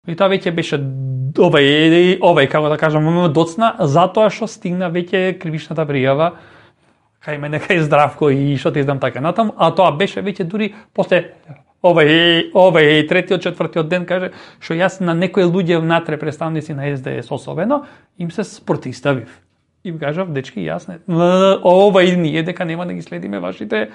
И тоа веќе беше овај како да кажам, доцна, затоа што стигна веќе кривичната пријава кај мене, кај Здравко и што ти знам така натаму, а тоа беше веќе дури после овај третиот, четвртиот ден каже што јас на некои луѓе внатре представници на СДС особено им се спротиставив. Им кажав, дечки, јас не ние дека нема да ги следиме вашите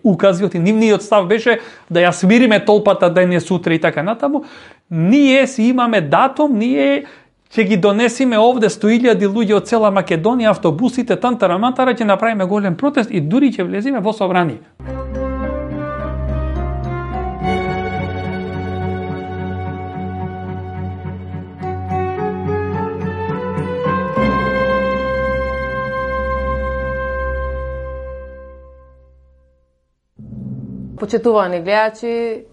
укази, нивниот став беше да ја свириме толпата денес сутре и така натаму. Ние си имаме датум, ние ќе ги донесиме овде 100.000 луѓе од цела Македонија, автобусите, тантара-мантара, ќе направиме голем протест и дури ќе влезиме во собрание. Почитувани гледачи,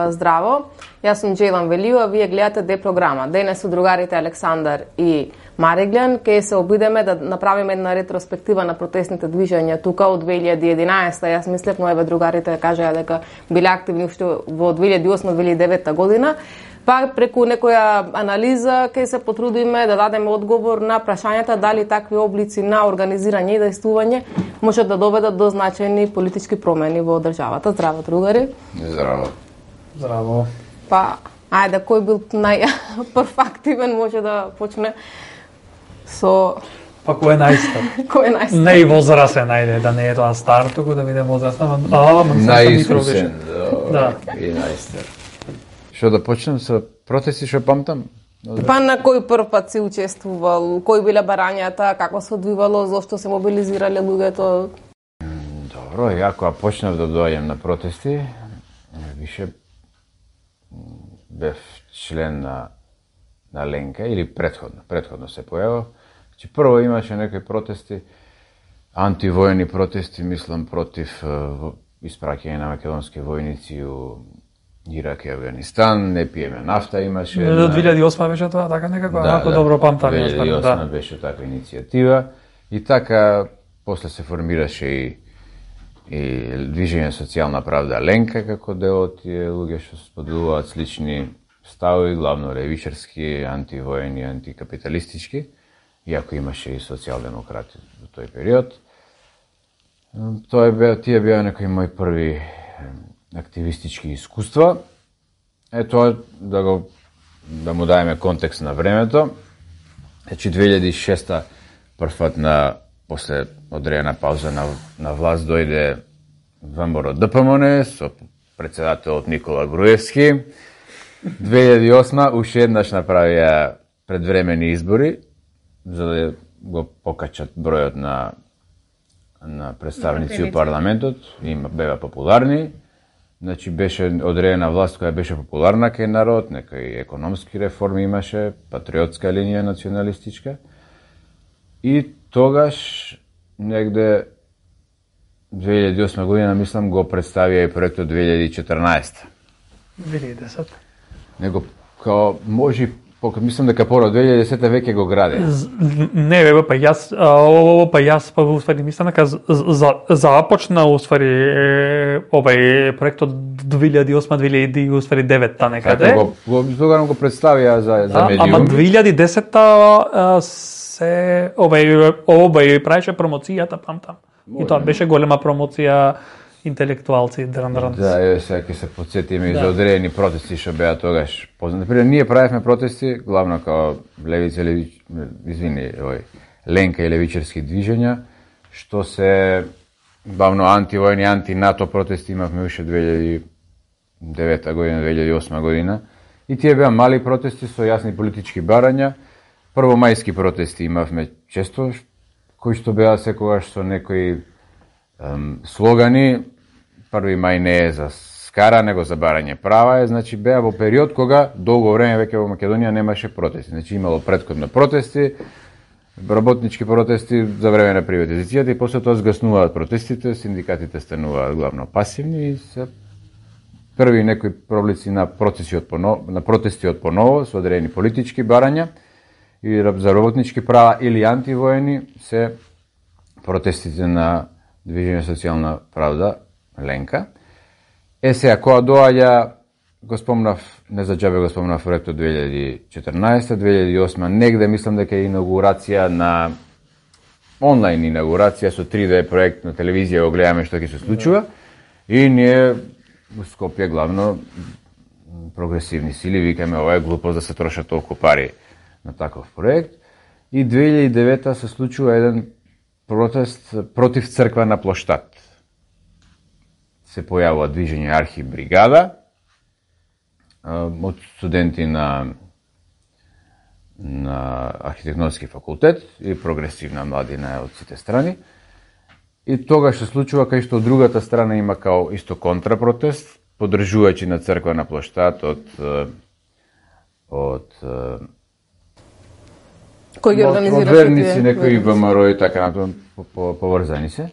здраво. Јас сум Джейлан Велио, вие гледате Д програма. Денес со другарите Александар и Мариглен ќе се обидеме да направиме една ретроспектива на протестните движења тука од 2011. Јас мислев, но еве другарите кажаа дека биле активни уште во 2008-2009 година. Па преку некоја анализа ќе се потрудиме да дадеме одговор на прашањата дали такви облици на организирање и действување можат да доведат до значајни политички промени во државата. Здраво, другари. Здраво. Здраво. Па, ајде, кој бил најпрв активен може да почне со... Па кој е најстар? Кој е најстар? Не и возрастен, ајде, да не е тоа стар, туку да биде возрастен. Најискусен, да. И најстар. Што да почнем со протести, што памтам? Па на кој прв пат си учествувал? Кои биле барањата? Како се одвивало? Зошто се мобилизирале луѓето? Добро, ја кога почнав да доаѓам на протести, више бев член на Ленка или предходно се појавав. Значи прво имаше некои протести, антивојни протести, мислам против испраќање на македонски војници у Ирак и Афганистан, не пиеме нафта имаше. 2008 беше тоа, така некако, ако добро памтам. 2008 беше таква иницијатива и така после се формираше и движење социјална правда Ленка како дел од тие луѓе што споделуваат слични ставови, главно левичарски, антивојни, антикапиталистички, иако имаше и социјалдемократи во тој период. Тие беа некои мои први активистички искуства. Тоа да му даеме контекст на времето. Значи 2006 првпат после одредена пауза на власт дојде ВМРО ДПМН со председателот Никола Груевски. 2008 уште еднаш направија предвремени избори за да го покачат бројот на представници у парламентот, беа популарни. Значи беше одредена власт која беше популарна кај народ, некои економски реформи имаше, патриотска линија националистичка. И тогаш негде 2008 година, мислам, го представија и проектот 2014. 2010. Него као може мислам дека порано 2010 веќе го граде. Не, па јас уствари мислам дека започна уствари овај проектот 2008-2009 некаде. Тогаш го представија за медиум. Ама 2010 се овај правеше промоцијата, памтам. И тоа беше голема промоција, интелектуалци, дран. Да, сега ќе се потсетиме и за одредени протести што беа тогаш познати. Например, ние правевме протести, главно као Ленка и левичарски движења, што се главно антивојни, анти-НАТО протести имавме уште 2009 година, 2008 година. И тие беа мали протести со јасни политички барања. Првомајски протести имавме често, кои што беа секогаш со некои слогани. 1 мај не е за скара, него за барање права, значи беа во период кога долго време веќе во Македонија немаше протести. Значи имало претходно протести, работнички протести за време на приватизацијата и после тоа згаснуваат протестите, синдикатите стануваат главно пасивни и се први некои проблици на протести од поново со одредени политички барања и за работнички права или антивојни се протестите на Движење социјална правда Ленка. Сега, кога доаѓа го спомнав, не за џабе го спомнав проектот 2014-2008, негде мислам дека е инаугурација на онлайн инаугурација со 3D проект на телевизија, го гледаме што ќе се случува и ние во Скопје главно прогресивни сили викаме ова е глупост да се трошат толку пари на таков проект. И 2009 се случува еден протест против црква на плоштад. Се појавува движење Архибригада од студенти на архитектонски факултет и прогресивна младина од сите страни. И тогаш се случува кај што од другата страна има као исто контрапротест, поддржувачи на црква на плоштад од кој ги организира верници, некои ВМРО и така натаму поврзани се.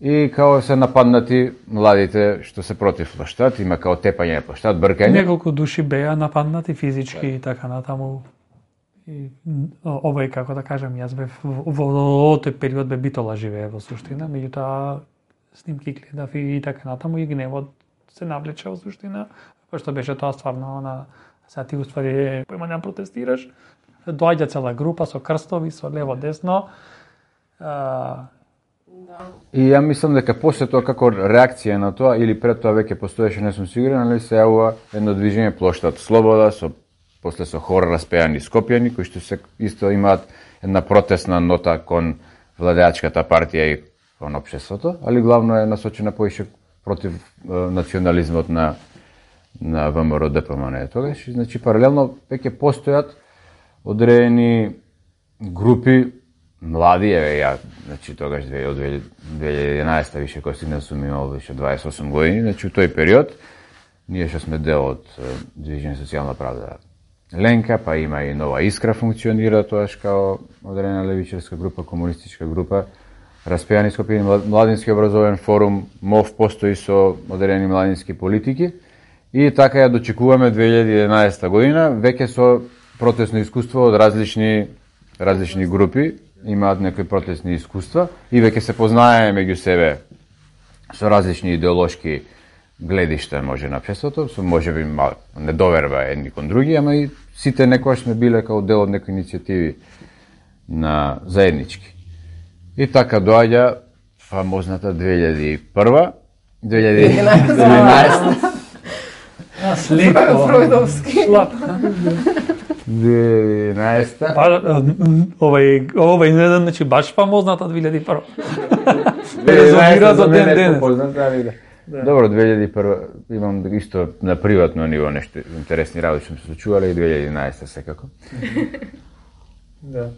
И као се нападнати младите што се против плоштад, има као тепање на плоштад, бркање. Неколку души беа нападнати физички и така натаму. И овој, како да кажам, јас бев во тој период бе Битола живее во суштина, меѓутоа снимки гледав и така натаму и гневот се навлече во суштина, пошто беше тоа стварно на сега ти уствари појма не протестираш, доаѓа цела група со крстови, со лево десно. И ја мислам дека после тоа како реакција на тоа или пред тоа веќе постоеше, не сум сигурен, али се јавува едно движење Плоштад Слобода после со хора распеани скопјани кои што се исто имаат една протестна нота кон владеачката партија и кон општеството, али главно е насочена поише против национализмот на ВМРО ДПМН тогаш. Значи паралелно веќе постојат одредени групи млади, ја, значи тогаш од 2011 више кој стигна сум имал више 28 години, значи у тој период ние што сме дел од Движење социјална правда Ленка, па има и Нова Искра функционира тоаш као одредена левичарска група, комунистичка група, Распеани Скопјани младински образовен форум, МОВ постои со одредени младински политики и така ја дочекуваме 2011 година, веќе со протестно искуство од различни групи, имаат некои протестни искуства и веќе се познаеме меѓу себе со различни идеолошки гледишта може на општеството, со можеби недоверба едни кон други, ама и сите некојаш сме биле као дел од некои иницијативи на заеднички. И така доаѓа фамозната 2001, 2011. Слепо. Фройдовски. 2011. Овој не значи баш фамозната 2001. Резонира до ден денес. Добро, 2001 имам исто на приватно ниво нешто интересни работи што се случувале и 2011 секако. Да.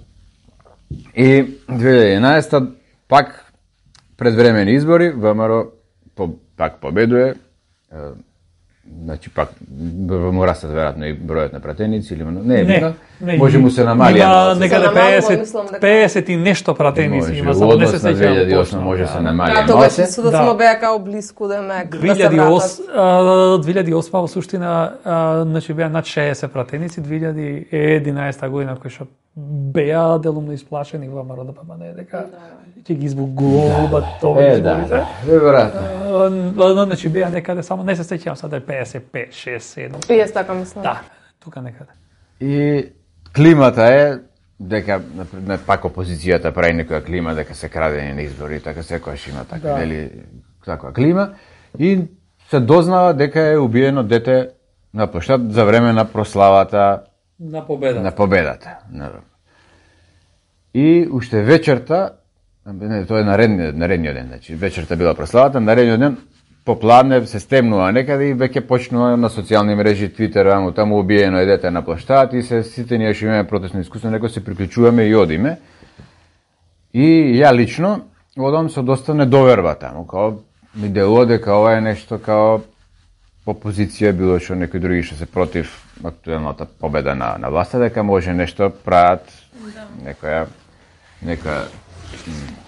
И 2011 пак предвремени избори, ВМРО пак победува. Значи пак му растат веројатно и бројот на пратеници или не, може му се намали. Има некаде 50 и нешто пратеници има, само не се сеќавам. 2008 може се намали. Да, тогаш судот само беа као блиску да ме 2008 во суштина значи беа над 60 пратеници, 2011 година кој што беа делумно исплашени во ВМРО ДПМН дека ќе ги избугуваат тоа изборите. Веројатно. Значи беа некаде само не се сеќавам сада 55, 6, 7. И јас така мислам. Да, тука некаде. И климата е дека пак опозицијата прави некоја клима дека се крадени на избори, така секојаш има така, нели, таква клима и се дознава дека е убиено дете на плоштад за време на прославата на победата. И уште вечерта, тоа е наредниот ден, значи вечерта била прославата, наредниот ден попладне се стемнува некаде и веќе почнува на социјални мрежи, Твитер, таму убиено е дете на плоштад и сите ние што имаме протестно искуство, некој се приклучуваме и одиме. И ја лично одам со доста недоверба таму, као ми делува дека ова е нешто као опозиција, било што некои други што се против актуелната победа на власта, дека може нешто прават некоја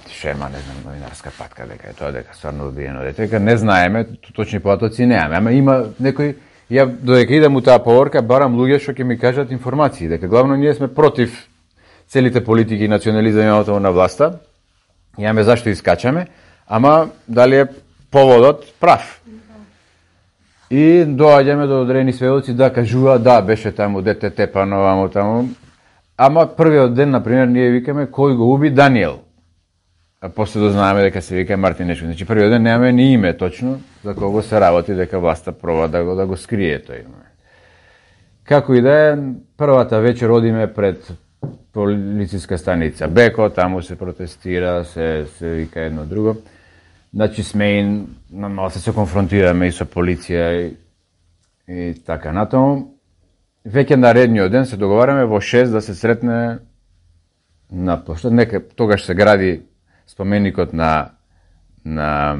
шема, не знам, новинарска патка, дека е тоа, дека стварно убиено дете, дека не знаеме, точни податоци неаме, ама има некој, ја додека идам у таа поворка, барам луѓе што ќе ми кажат информации, дека главно ние сме против целите политики и национализмот на власта, имаме зашто искачаме, ама дали е поводот прав. И доаѓаме до одредени сведоци да кажуваат да беше таму дете тепано ваму таму. Ама првиот ден на пример ние викаме кој го уби Даниел. А после дознаеме дека се вика Мартин Нешко. Значи првиот ден немаме ни име точно за кого се работи, дека власта проба да го скрие тој име. Како и да е, првата вечер одиме пред полициска станица Беко, таму се протестира, се вика едно друго. Значи сме и малце се конфронтираме и со полиција и така натаму. Веќе наредниот ден се договараме во 6 да се сретне на площад. Тогаш се гради споменикот на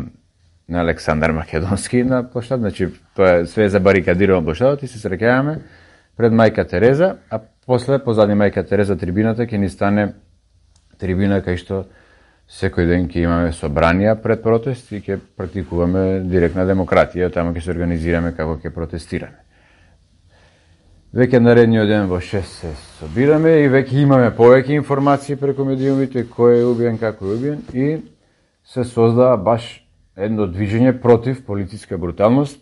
Александар Македонски на площад. Значи тоа е све забарикадирано площадот и се среќаваме пред Мајка Тереза, а после позади Мајка Тереза трибината ќе ни стане трибина кај што секој ден ќе имаме собранија пред протест и ќе практикуваме директна демократија, таму ќе се организираме како ќе протестираме. Веќе наредниот ден во 6 се собираме и веќе имаме повеќе информации преку медиумите кој е убиен, како е убиен и се создава баш едно движење против полициска бруталност.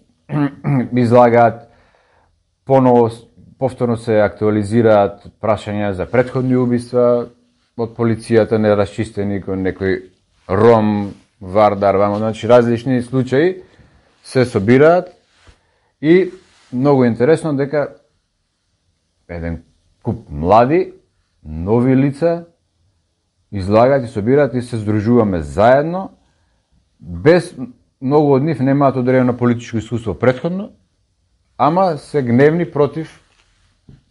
Излагаат повторно се актуализираат прашања за претходни убиства од полицијата, нерасчистени кој некој Ром, Вардар, значи различни случаи се собираат и многу интересно дека еден куп млади, нови лица излагаат и собираат и се здружуваме заедно, без многу од нив немаат одредено политичко искуство претходно, ама се гневни против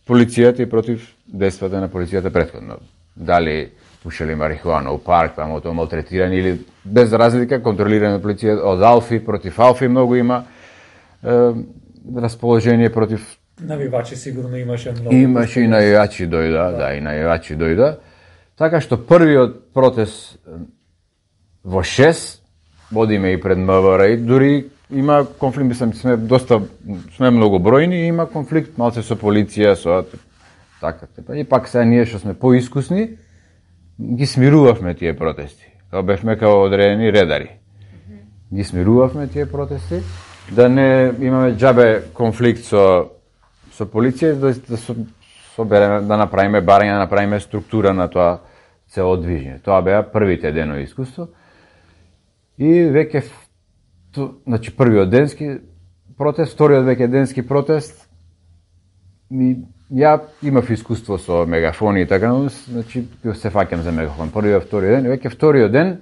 полицијата и против действата на полицијата претходно. Дали пушели марихуана у парк, тоа малтретирани или без разлика контролирани од полицијата од Алфи против Алфи многу има расположение против навивачи сигурно имаше многу. Имаше и навивачи дојда, да, и навивачи дојда. Така што првиот протест во 6 водиме и пред МВР и дури има конфликт, мислам, сме многу бројни и има конфликт малце со полиција, со така. И пак сега ние што сме поискусни, ги смирувавме тие протести. Бевме као одредени редари. Ги смирувавме тие протести, да не имаме џабе конфликт со полиција, да направиме барање, да направиме структура на тоа цело движење. Тоа беа првите денови искуство. И веќе, значи првиот денски протест, вториот веќе денски протест, ја имав искуство со мегафони и така, значи се фаќам за мегафон. Првиот, вториот ден, веќе вториот ден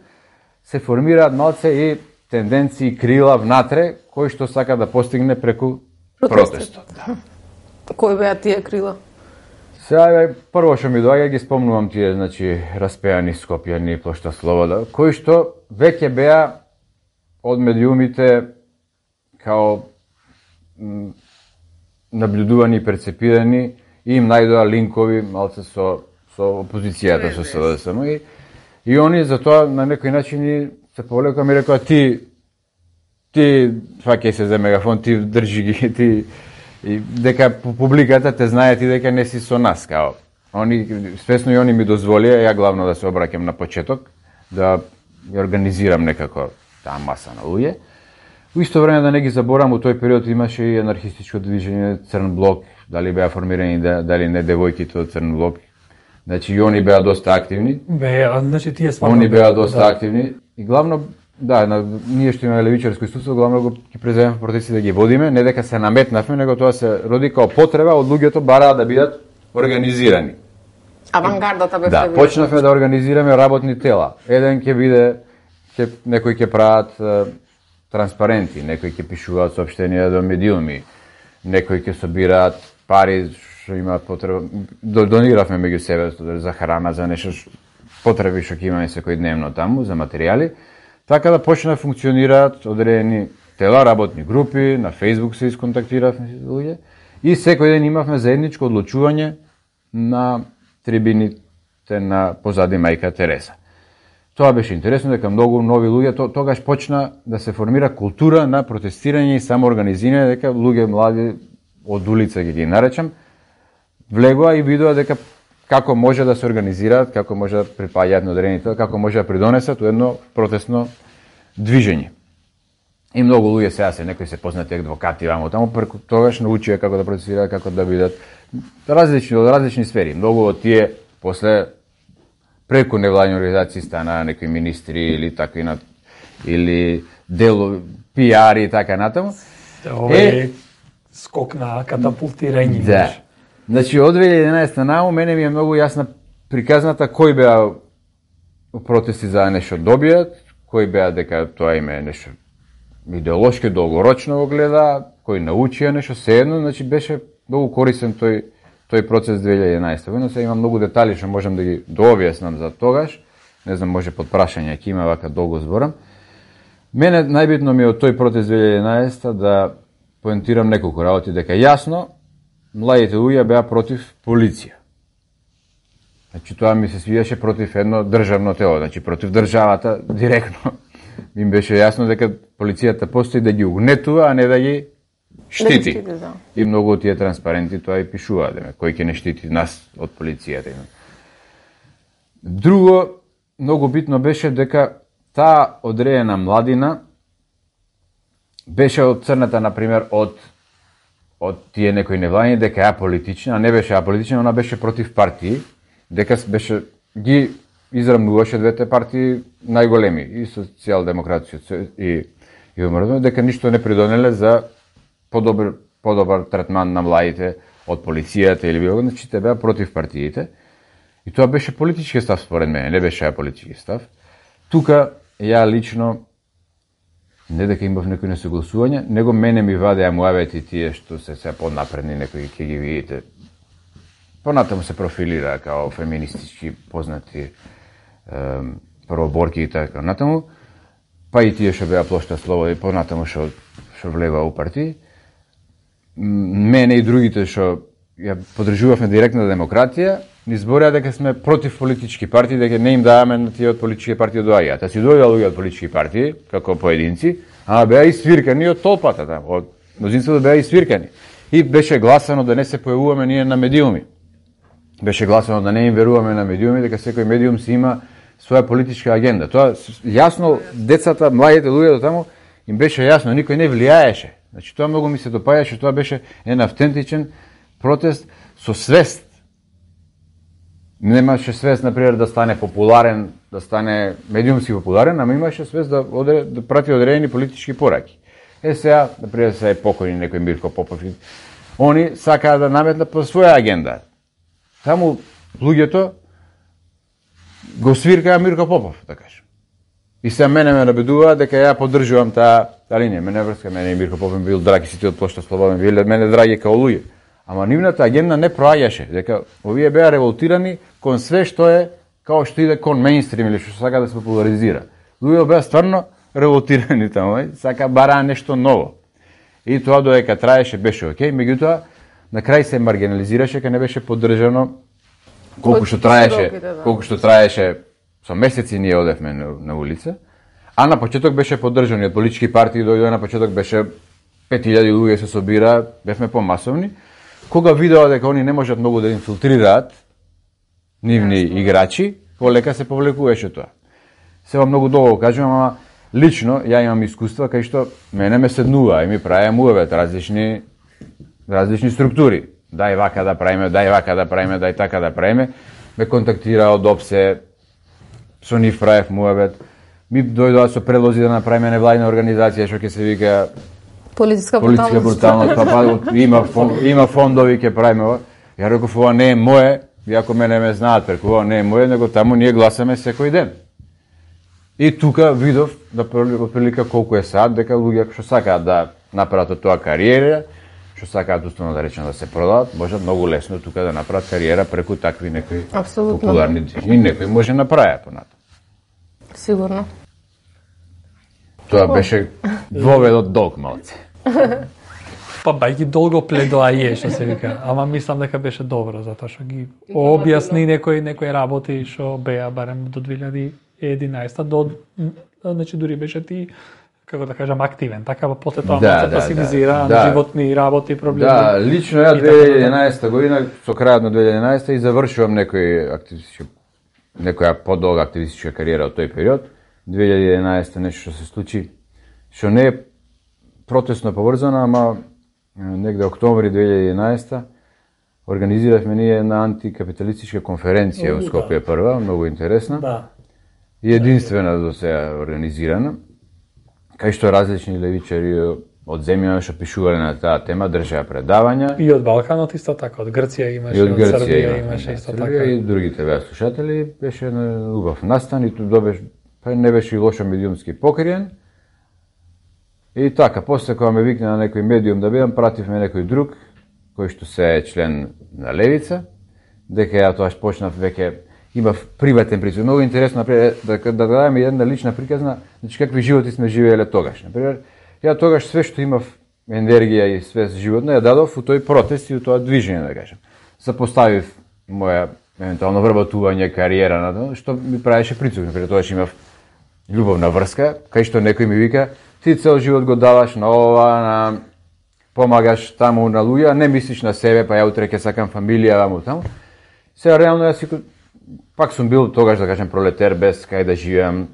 се формираат малце и тенденции, крила внатре, кои што сака да постигне преку протестот. Кои беа тие крила? Сега прво што ми доаѓа ги спомнувам тие, значи распеани Скопјани, плошта Слобода, кои што веќе беа од медиумите као наблюдувани и перцепирани и им најдоа линкови малце со опозицијата, со СДСМ и они за тоа на некој начин се повлекоа ми рекоа ти фаќај се за мегафон, ти држи ги, ти и дека публиката те знае ти дека не си со нас, као. Свесно и они ми дозволија, ја главно да се обраќам на почеток, да ја организирам некако таа маса на луѓе. У исто време да не ги заборам, у тој период имаше и анархистичко движење Црн блок, дали беа формирани, дали не девојките од Црн блок. Значи и они беа доста активни. Значи тие стварно. Они беа доста активни и главно ние што имаме левичарско искуство, главно го ги преземавме протести да ги водиме, не дека се наметнавме, него тоа се роди као потреба од луѓето бараа да бидат организирани. Авангардата бе да, почнавме да организираме работни тела. Еден ќе биде, некои ќе прават транспаренти, некои ќе пишуваат соопштенија до медиуми, некои ќе собираат пари што имаат потреба. Дониравме меѓу себе за храна, за нешто потреби што ќе имаме секојдневно таму, за материјали. Така да почна да функционираат одредени тела, работни групи, на Facebook се исконтактиравме со луѓе и секој ден имавме заедничко одлучување на трибините на позади Мајка Тереза. Тоа беше интересно дека многу нови луѓе, тогаш почна да се формира култура на протестирање и самоорганизирање, дека луѓе млади од улица ги наречам, влегоа и видоа дека како може да се организираат, како може да припаѓаат на одредени тела, како може да придонесат у едно протестно движење. И многу луѓе сега некои се познати адвокати вамо таму, преку тогаш научија како да процесираат, како да бидат различни сфери. Многу од тие после преку невладини организации стана некои министри или такви или дело пиари и така натаму. Скок на катапултирање. Да. Значи од 2011 нааму мене ми е многу јасна приказната кој беа протести за нешто добијат, кој беа дека тоа им е нешто идеолошки долгорочно го гледа, кој научија нешто, седно, значи беше многу корисен тој процес 2011 година. Сега има многу детали што можам да ги дообјаснам за тогаш. Не знам, може под прашање ќе има, вака долго зборам. Мене најбитно ми е од тој протест 2011 да поентирам неколку работи, дека јасно младите луѓе беа против полиција. Значи тоа ми се свиеше против едно државно тело, значи против државата директно. Им беше јасно дека полицијата постои да ги угнетува, а не да ги штити. Да. И многу од тие транспаренти тоа и пишуваат, кој ќе не штити нас од полицијата. Друго, многу битно беше дека таа одредена младина беше одцрната, например, од тие некои невладини, дека е аполитична, а не беше аполитична, она беше против партии, дека беше ги израмнуваше двете партии најголеми, и социјалдемократија и ВМРО, дека ништо не придонеле за подобар третман на младите од полицијата или било, значи те беа против партиите. И тоа беше политички став според мене, не беше политички став. Тука ја лично не дека имав некои несогласување, него мене ми вадеа муавети тие што се поднапредни, некои ќе ги видите. Понатаму се профилира као феминистички познати првоборки и така натаму, па и тие што беа плошта слобода и понатаму што влева у партии. Мене и другите што ја поддржувавме директна демократија, ни збореа дека сме против политички партии, дека не им даваме на тие од политички партии доаѓаат. А си доаѓаа луѓе од политички партии, како поединци, а беа и свиркани од толпата таму, од мнозинството беа и свиркани. И беше гласано да не се појавуваме ние на медиуми. Беше гласано да не им веруваме на медиуми, дека секој медиум си има своја политичка агенда. Тоа јасно децата, младите луѓе до таму им беше јасно, никој не влијаеше. Значи тоа многу ми се допаѓаше, тоа беше еден автентичен протест со свест. Немаше свест, например, да стане популарен, да стане медиумски популарен, ама имаше свест да прати одредени политички пораки. Сега, например, се е покојни некој Мирко Попов. Они сакаат да наметнат по своја агенда. Таму луѓето го свиркаа Мирко Попов, да кажем. И сега мене ме набедува дека ја поддржувам таа линија. Мене врска, мене и Мирко Попов бил драги, сите од плошта Слободен биле мене драги као луѓе. Ама нивната агенда не проаѓаше, дека овие беа револтирани кон све што е као што иде кон мејнстрим или што сака да се популаризира. Луѓе беа стварно револтирани таму, сака бараа нешто ново. И тоа додека траеше беше окей, меѓутоа на крај се маргинализираше, кога не беше поддржано колку што траеше со месеци ние одевме на улица, а на почеток беше поддржан од политички партии, дојде на почеток беше 5000 луѓе се собира, бевме помасовни. Кога видеа дека они не можат многу да инфилтрираат нивни играчи, полека се повлекуваше тоа. Сега многу долго кажувам, ама лично ја имам искуства кај што мене ме седнува и ми правеа муавет различни структури. Дај вака да правиме, дај така да правиме. Ме контактира од ОПСЕ, со нив правев муавет. Ми дојдоа со предлози да направиме невладина организација што ќе се вика Политичка бруталност, има фондови ќе правиме ова. Ја реков, ова не е мое, иако мене ме знаат преку ова не е мое, него таму ние гласаме секој ден. И тука видов, да прилика колку е сад, дека луѓе што сакаат да направат од тоа кариера, што сакаат уствено да речем да се продават, можат многу лесно тука да направат кариера преку такви некои популарни движења. И некој може направи понатаму. Сигурно. Тоа беше двоведот долг малце. Па бајки долго пледоаје, што се вика, ама мислам дека беше добро, затоа што ги објасни некои работи што беа барем до 2011 значи дури беше ти, како да кажам, активен, така после тоа се пасивизира на животни работи, проблеми. Да, лично ја 2011 година, со крајот на 2011 и завршувам некоја подолга активистичка кариера од тој период. 2011 нешто што се случи, што не е протестно поврзана, ама негде октомври 2011 организиравме ние една антикапиталистичка конференција во Скопје прва, многу интересна. Да. И единствена до сега организирана, кај што различни левичари од земјава што пишувале на таа тема, држаа предавања. И од Балканот исто така, од Грција имаше, од Србија имаше исто така. И другите беа слушатели, беше на убав настан и не беше и лошо медиумски покриен. И така, после кога ме викна на некој медиум да бидам, пративме некој друг, кој што се е член на Левица, дека ја тоа почнав веќе имав приватен присуст. Многу интересно да дадеме една лична приказна, значи какви животи сме живееле тогаш. Например, ја тогаш све што имав енергија и све животно ја дадов у тој протест и у тоа движење, да кажем. Запоставив моја евентуално вработување, кариера на тоа, што ми правеше прицук. Например, тогаш имав љубовна врска, кај што некој ми вика: ти цел живот го даваш на ова, помагаш таму на луѓе, не мислиш на себе, па ја утре ќе сакам фамилија, ваму таму. Сега реално јас пак сум бил тогаш, да кажем, пролетер, без кај да живеам,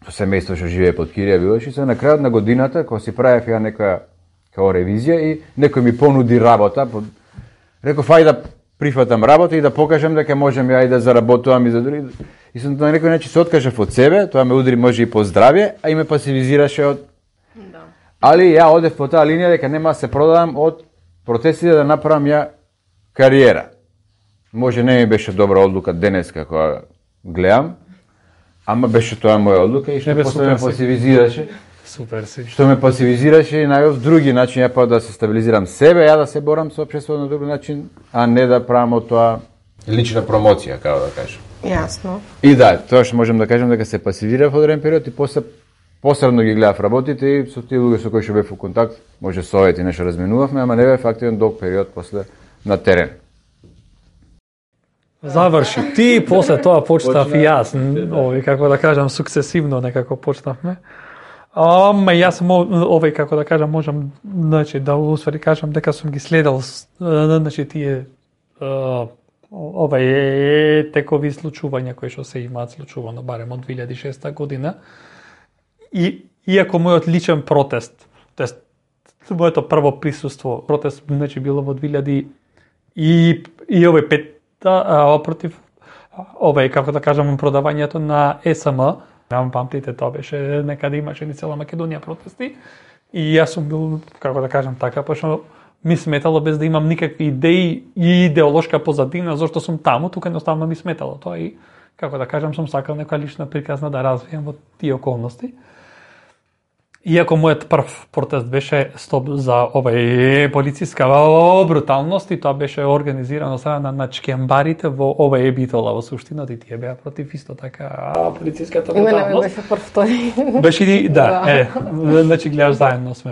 со семејство што живее под кирија билош, и се на крајот на годината, кога си правев ја некоја као ревизија и некој ми понуди работа, реков ај да прифатам работа и да покажам дека можам ја и да заработувам и за други. И сум на некој начин се откажав од себе, тоа ме удри може и по здравје, а и ме пасивизираше од. Да. Али ја одев по таа линија дека нема да се продавам од протестите да направам ја кариера. Може не ми беше добра одлука денеска кога гледам, ама беше тоа моја одлука и што после ме пасивизираше. Супер си. Што ме пасивизираше и најов други начин ја па да се стабилизирам себе, ја да се борам со општеството на друг начин, а не да правам од тоа лична промоција, како да кажам. Јасно. И да, тоа што можам да кажам дека се пасивирав од одреден период и после посредно ги гледав работите и со тие луѓе со кои што бев во контакт, може совети нешто разменувавме, ама не бев активен долг период после на терен. Заврши ти, после тоа почнав и јас, како да кажам, сукцесивно некако почнавме. Ама јас како да кажам, можам значи да усвари кажам дека сум ги следел значи тие текови случувања кои што се имаат случувано барем од 2006 година. И иако мојот личен протест, тоест моето прво присуство, протест значи било во 2000 и против како да кажам продавањето на СМ. Нямам памтите, тоа беше некаде имаше ни цела Македонија протести и јас сум бил, како да кажам така, пошто ми сметало без да имам никакви идеи и идеолошка позадина зашто сум таму, тука едноставно ми сметало тоа и како да кажам сум сакал некоја лична приказна да развијам во тие околности. Иако мојот прв протест беше стоп за полициска бруталност и тоа беше организирано страна на чкембарите во Битола во суштината и тие беа против исто така полициската бруталност. Мене беше прв тој. Беше и да, значи гледаш заедно сме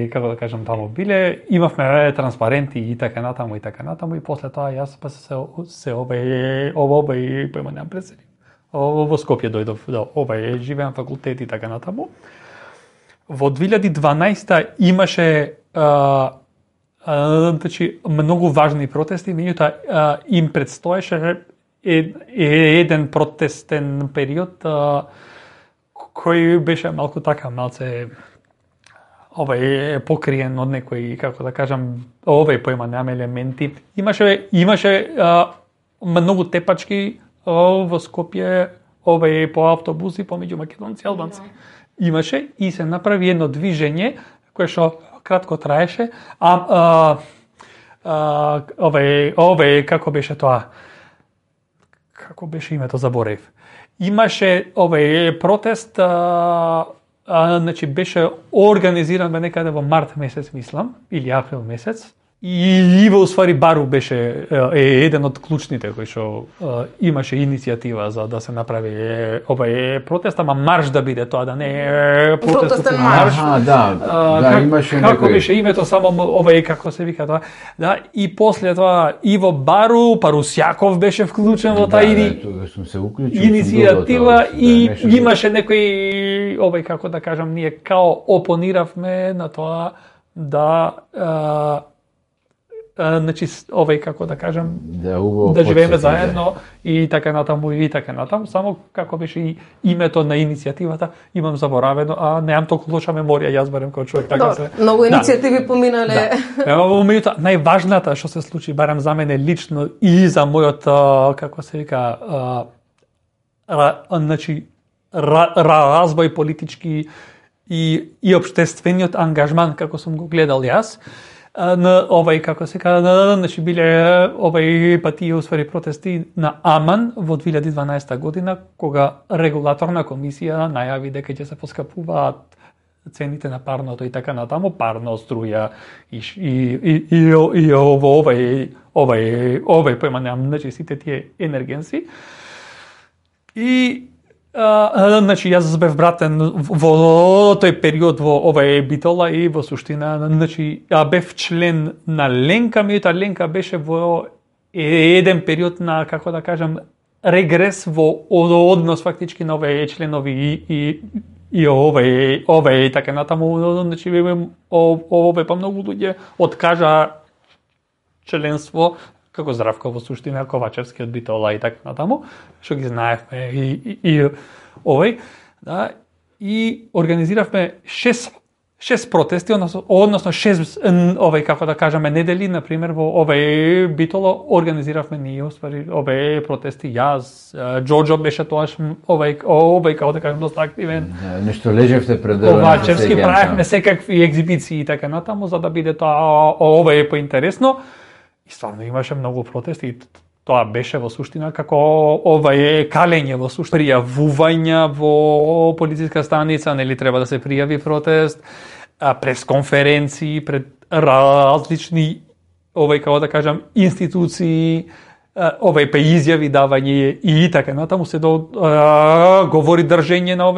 како да кажам таму биле, имавме транспаренти и така натаму и после тоа јас па се појма немам пресели. Во Скопје дојдов, живеам факултет и така натаму. Во 2012 имаше значи многу важни протести, меѓутоа им предстоеше еден протестен период кој беше малку така малце покриен од некои, како да кажам, појма немам елементи. Имаше многу тепачки во Скопје по автобуси помеѓу македонци и албанци. Имаше и се направи едно движење кое што кратко траеше, како беше тоа? Како беше името, заборев. Имаше протест, значи беше организиран некаде во март месец, мислам, или април месец. И во уствари Бару беше еден од клучните кој што имаше иницијатива за да се направи протест, ама марш да биде тоа, да не е протестен марш. Имаше како беше името само како се вика тоа. Да, и после тоа Иво Бару, Парусјаков беше вклучен во таа иницијатива и имаше некој како да кажам, ние као опониравме на тоа да значи како да кажам, да живееме заедно и така натаму, само како беше и името на иницијативата, имам заборавено, а немам толку лоша меморија, јас барем како човек, така се. Многу иницијативи поминале. Меѓутоа, најважната што се случи, барем за мене лично и за мојот, како се вика, значи развој политички и општествениот ангажман како сум го гледал јас, на како се кажа, значи биле пати усвари протести на Аман во 2012 година, кога регулаторна комисија најави дека ќе се поскапуваат цените на парното и така натаму, парно, струја и појма, значи сите тие енергенси. И значи јас бев вратен во тој период во Битола и во суштина, значи бев член на Ленка, меѓутоа Ленка беше во еден период на, како да кажам, регрес во однос фактички на овие членови и така натаму, значи па многу луѓе откажа членство, како Здравко во суштина, Ковачевски од Битола и така натаму, што ги знаевме и и организиравме 6 протести, односно 6 како да кажеме недели, на пример во Битола организиравме ние уствари протести, јас, Џоџо беше тоаш како да кажем доста активен. Нешто лежевте пред Ковачевски, правевме секакви екзибиции и така натаму за да биде тоа поинтересно. И стварно имаше многу протести и тоа беше во суштина како калење во суштина. Пријавувања во полициска станица, нели треба да се пријави протест, пресконференции пред различни како да кажам институции, па изјави давање и така натаму се говори држење на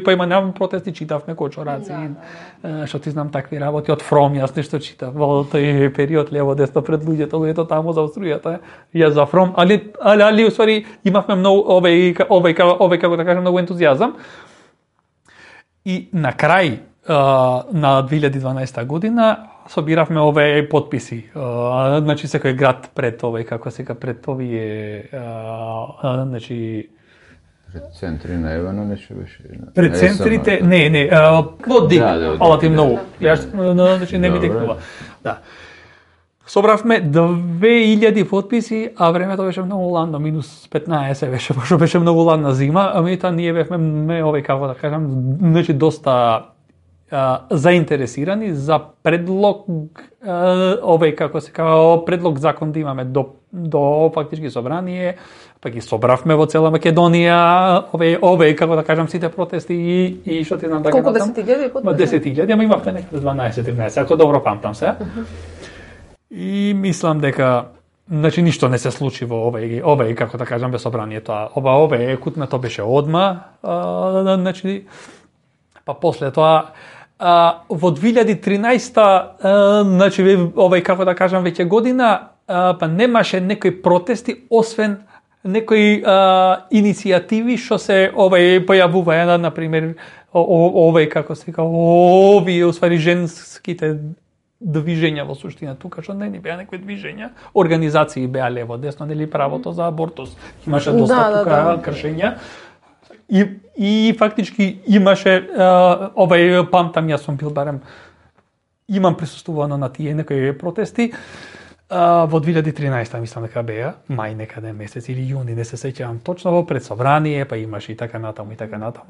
поиманам протести, читавме кочораци, што ти знам такви работи од Фром, јас нешто читав во тој период лево десно пред луѓето таму за струјата, јас за Фром, али уствари имавме многу како да кажам многу ентузијазам. И на крај на 2012 година собиравме овие подписи. Значи секој град пред како сега пред овие значи пред центри на Евано нешто беше. Пред центрите, не, во Дик, фала ти многу. Јас значи не ми текнува. Да. Собравме 2000 подписи, а времето беше многу ладно, минус 15 беше, пошто беше многу ладна зима, а меѓутоа ние бевме како да кажам, значи доста заинтересирани за предлог како се кажа предлог закон да имаме до фактички собрание, па ги собравме во цела Македонија како да кажам сите протести и што ти знам така. Колку 10.000 подписи? 10.000, ама имавме некаде 12-13, ако добро памтам се. И мислам дека значи ништо не се случи во како да кажам без собранието. Ова кутнато беше одма, значи па после тоа во 2013 значи како да кажам веќе година па немаше некои протести освен некои иницијативи што се појавуваја, на пример како се кажа овие усвари женските движења во суштина тука, што не беа некои движења, организации беа лево, десно, нели правото за абортус. Имаше доста тука кршења. И фактички имаше памтам, јас сум бил барем имам присуствувано на тие некои протести во 2013 мислам дека беа, мај некаде месец или јуни, не се сеќавам точно, во пред собрание, па имаше и така натаму.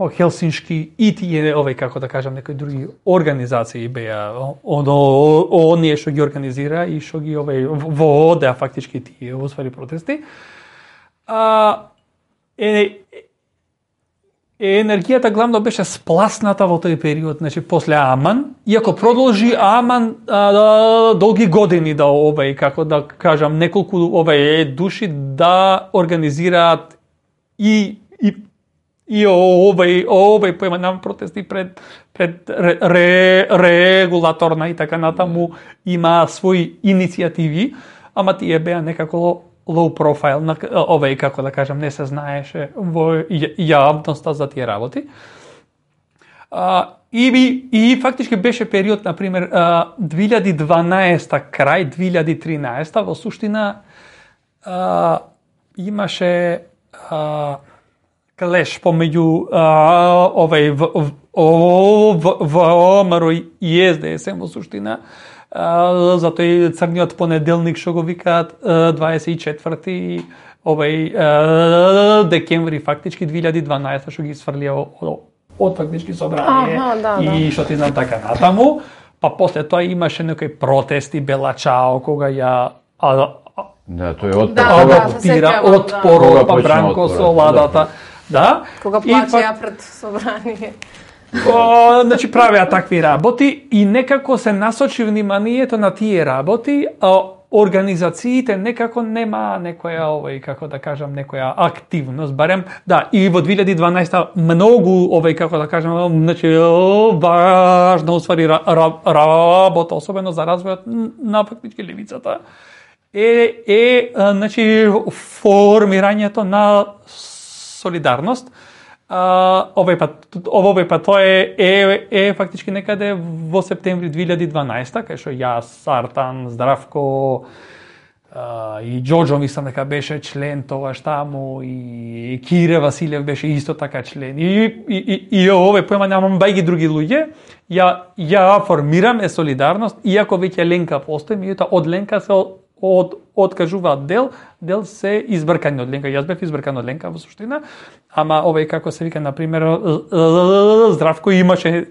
Хелсиншки и тие како да кажам некои други организации беа оние што ги организира и што ги водеа фактички тие усвари протести. Енергијата главно беше спласната во тој период, значи после Аман, иако продолжи Аман долги години да како да кажам неколку души да организираат и појманам протести пред регулаторна и така натаму има своји иницијативи, ама тие беа некако low profile, како да кажам, не се знаеше во јавноста за тие работи. И фактички беше период, например, 2012 крај 2013 во суштина имаше клеш помеѓу ВМРО и СДСМ во суштина, затоа и црниот понеделник што го викаат 24 декември фактички 2012 што ги сврлија од фактички собрание и што ти знам така натаму, па после тоа имаше некои протести Белачао кога ја Да, тој отпор. Адаптира отпор, па Бранко со ладата. Да. Кога плачеа пред собрание. Значи правеа такви работи и некако се насочи вниманието на тие работи, организациите некако нема некоја како да кажам, некоја активност, барем да, и во 2012 многу како да кажам, значи важна уствари работа, особено за развојот на фактички левицата. Значи формирањето на солидарност. Овој пат тоа е фактички некаде во септември 2012, кај што јас, Артан, Здравко и Џоџо мислам дека беше член тогаш таму и Кире Василев беше исто така член. И овој поема немам бајги други луѓе, ја формираме солидарност, иако веќе Ленка постои, меѓутоа од Ленка се откажуваат дел се избркани од Ленка. Јас бев избркан од Ленка во суштина, ама како се вика, например, Здравко имаше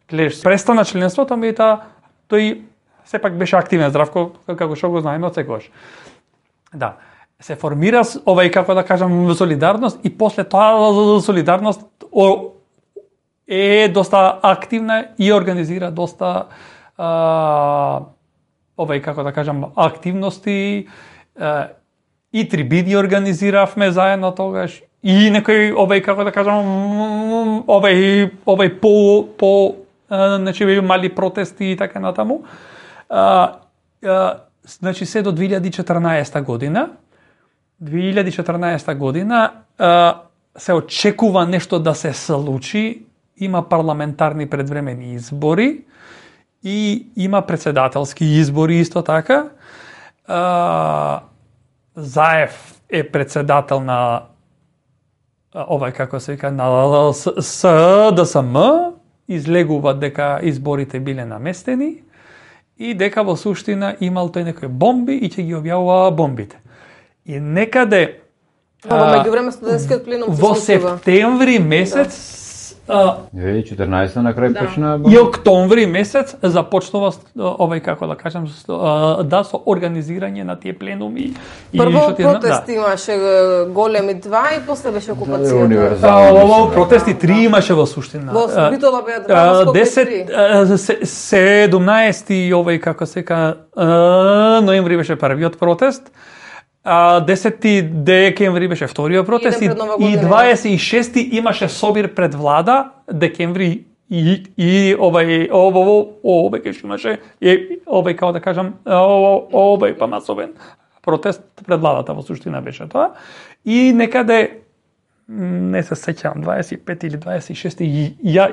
клеш престана членството, меѓутоа тој сепак беше активен. Здравко, како што го знаеме од секогаш. Да, се формира како да кажам солидарност и после тоа солидарност е доста активна и организира доста како да кажам, активности и трибини организиравме заедно тогаш и некои како да кажам значи мали протести и така натаму. Значи се до 2014 година. 2014 година се очекува нешто да се случи, има парламентарни предвремени избори и има председателски избори исто така. Заев е председател на како се вика, на СДСМ, излегува дека изборите биле наместени и дека во суштина имал тој некои бомби и ќе ги објавува бомбите. И некаде во меѓувреме студентскиот пленум во септември месец 2014 на крај почна и октомври месец започнува како да кажам да со организирање на тие пленуми. Прво протести имаше големи 2 и после беше окупацијата. Протести 3 имаше во суштина. Во Битола беа 2, 17 како се ка ноември беше првиот протест. 10 декември беше вториот протест и 26 имаше собир пред влада декември и овој што имаше како да кажам па масовен протест пред владата во суштина беше тоа и некаде не се сеќавам 25 или 26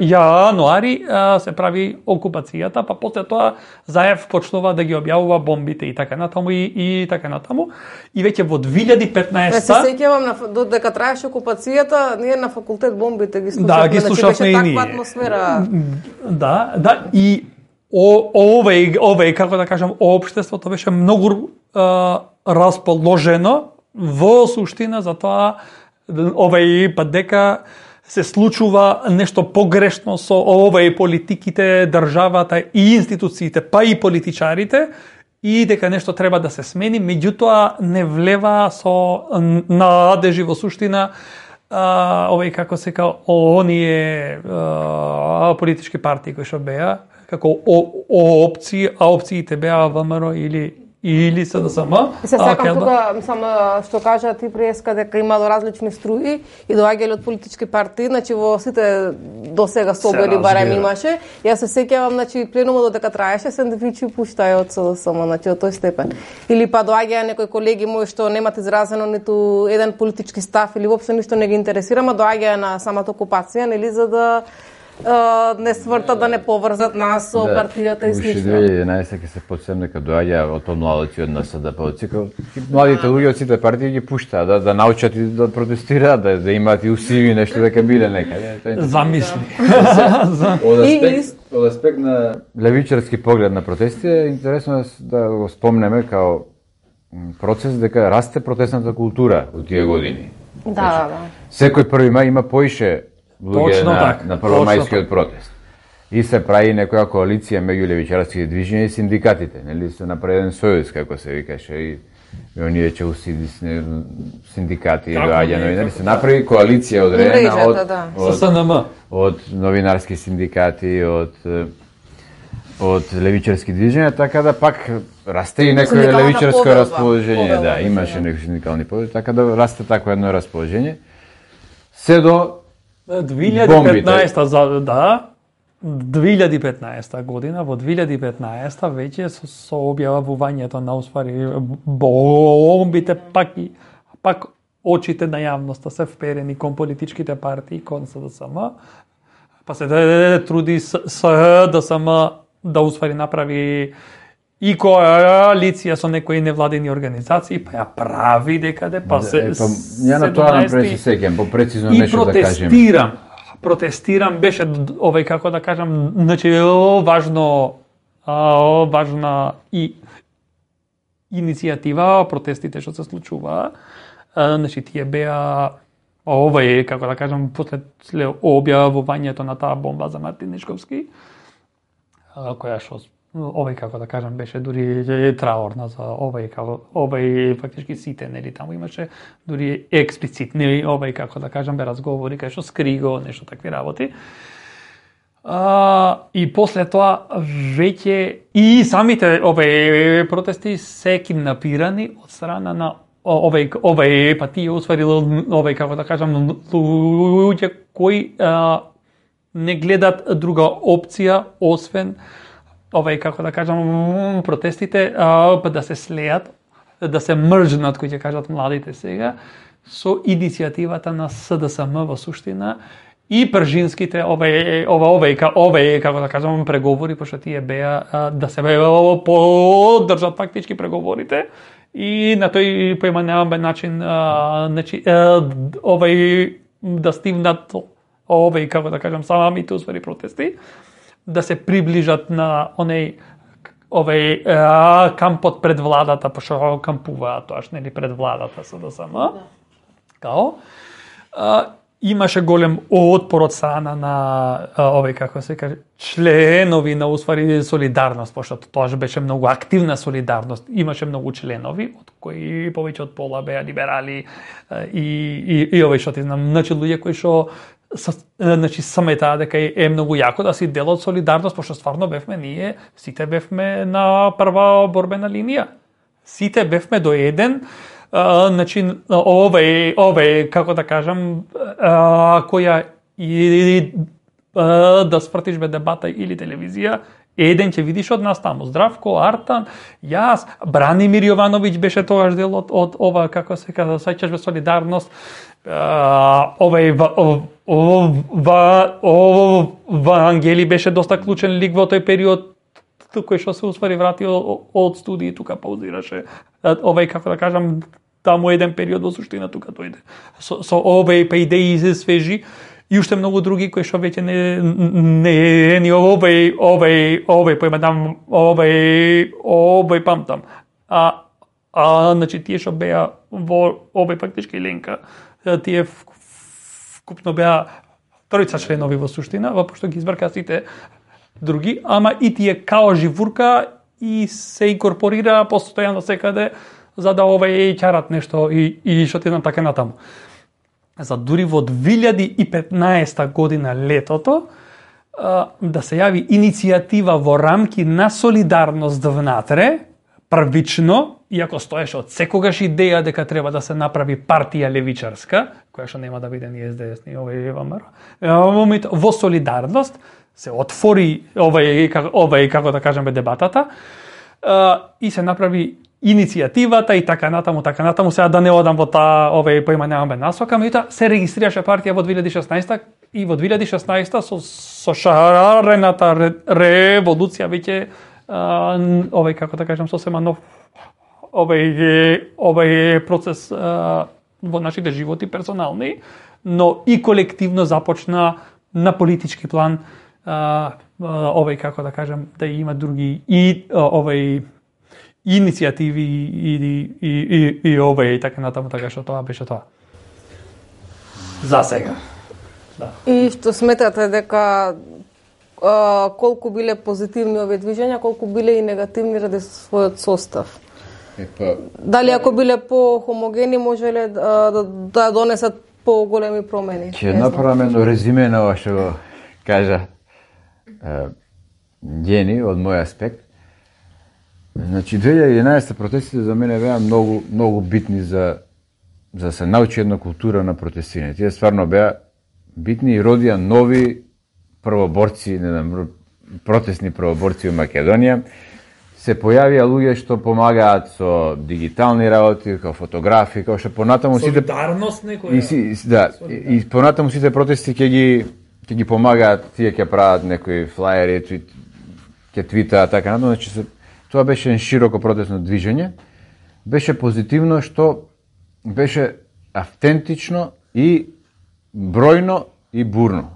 јануари се прави окупацијата, па после тоа Заев почнува да ги објавува бомбите и така натаму и така натаму. И веќе во 2015 се сеќавам додека траеше окупацијата, ние на факултет бомбите ги слушавме. Да, ги слушавме и ние. Таква атмосфера. Да, и овој како да кажам, општеството беше многу расположено во суштина за тоа пат дека се случува нешто погрешно со политиките, државата и институциите, па и политичарите, и дека нешто треба да се смени, меѓутоа не влева со надежи во суштина како се ка оние политички партии кои што беа како опции, а опциите беа ВМРО или СДСМ. Се сакам тука, мислам, што кажа ти преска дека имало различни струи и доаѓале од политички партии, значи во сите досега собори барем имаше. Јас се сеќавам, значи пленумот додека траеше сендвичи пуштаја од СДСМ, значи од тој степен. Или па доаѓаја некои колеги мои што немат изразено ниту еден политички став или воопшто ништо не ги интересира, ма доаѓаја на самата окупација, нели, за да не свртат да не поврзат нас со партијата и слично. Уште 2011 ќе се подсем дека доаѓа од младоци од НСДП од цикл. Младите луѓе од сите партии ги пуштаат да научат и да протестираат, да имаат и усиви нешто дека биле некаде. Замисли. Од аспект на левичарски поглед на протести е интересно да го спомнеме као процес дека расте протестната култура од тие години. Да. Секој 1 мај има поише луѓе на првомајскиот протест. И се прави некоја коалиција меѓу левичарските движења и синдикатите, нели се направи сојуз како се викаше и оние челсиди синдикати доаѓа новинари, се направи коалиција одредена од СНМ, од новинарски синдикати, од левичарски движења, така да пак расте и некој левичарско расположение, да, имаше некои синдикални повели, така да расте такво едно расположение. Се до 2015 2015 година, во 2015 веќе со објавувањето на уствари бомбите пак очите на јавноста се вперени кон политичките партии, кон СДСМ, па се труди СДСМ да уствари направи и коалиција со некои невладени организации, па ја прави декаде, па се... Ја на тоа напред се сеќам, попрецизно нешто да кажем. И протестирам, беше како да кажам, значи важна и иницијатива, протестите што се случуваа, значи тие беа како да кажам, после објавувањето на таа бомба за Мартин Нишковски, која што како да кажам беше дури траорна за фактички сите, нели таму имаше дури експлицитни како да кажам бе разговори кај што скриго нешто такви работи. И после тоа веќе и самите протести се киднапирани од страна на па тие усварил како да кажам луѓе кои не гледат друга опција освен како да кажам, протестите да се слеат, да се мржнат, кои ќе кажат младите сега, со иницијативата на СДСМ во суштина и пржинските како да кажам, преговори, пошто тие беа да се поддржат фактички преговорите и на тој поиманеваме начин да стигнат како да кажам, самите усвари протести, да се приближат на кампот пред владата, пошто кампуваат тоаш, нели, пред владата СДСМ. Као имаше голем отпор од страна на како се каже, членови на усвари солидарност, пошто тоаш беше многу активна солидарност. Имаше многу членови, од кои повеќе од пола беа либерали и што ти знам, значи луѓе кои што значи сметаа дека е многу јако да си дел од солидарност, пошто стварно ние сите бевме на прва борбена линија. Сите бевме до еден, значи како да кажам, која и да спратиш бе дебата или телевизија, еден ќе видиш од нас таму, Здравко, Артан, јас, Бранимир Јовановиќ беше тогаш дел од ова, како се казва, сеќаш бе солидарност, Ангели беше доста клучен лик во тој период, кој што се успари врати од студии, тука паузираше. Како да кажам, таму еден период во суштина тука дојде. Со па идеи се свежи и уште многу други кои што веќе не памтам. Значи тие што беа во фактички ленка, тие вкупно беа тројца членови во суштина, пошто ги избрка сите други, ама и тие као живурка и се инкорпорира постојано секаде за да ќарат нешто и што ти знам така натаму. За дури во 2015 година летото да се јави иницијатива во рамки на солидарност внатре, првично, иако стоеше од секогаш идеја дека треба да се направи партија левичарска, која што нема да биде ни СДС, ни ВМРО, во солидарност се отвори како да кажеме дебатата и се направи иницијативата и така натаму, сега да не одам во таа поиманеваме насока, меѓутоа се регистрираше партија во 2016 и во 2016 со шарената револуција веќе овој, како да кажам, сосема нов овој процес во нашите животи персонални, но и колективно започна на политички план овој, како да кажам, да има други и овој иницијативи и овој и така натаму, така што тоа беше тоа. За сега. Да. И што сметате дека колку биле позитивни овие движења, колку биле и негативни ради својот состав? Дали ако биле по-хомогени можеле да донесат по-големи промени? Ќе направам едно резиме на ова што го кажа Гени од мој аспект. Значи 2011 протестите за мене беа многу битни за да се научи една култура на протестирање. Тие стварно беа битни и родија нови првоборци, протестни првоборци во Македонија. Се појавија луѓе што помагаат со дигитални работи, како фотографи, како што понатаму сите солидарност некоја. Да, и понатаму сите протести ќе ги помагаат, тие ќе прават некои флаери, ќе твитаат така натаму, значи тоа беше широко протестно движење. Беше позитивно што беше автентично и бројно и бурно.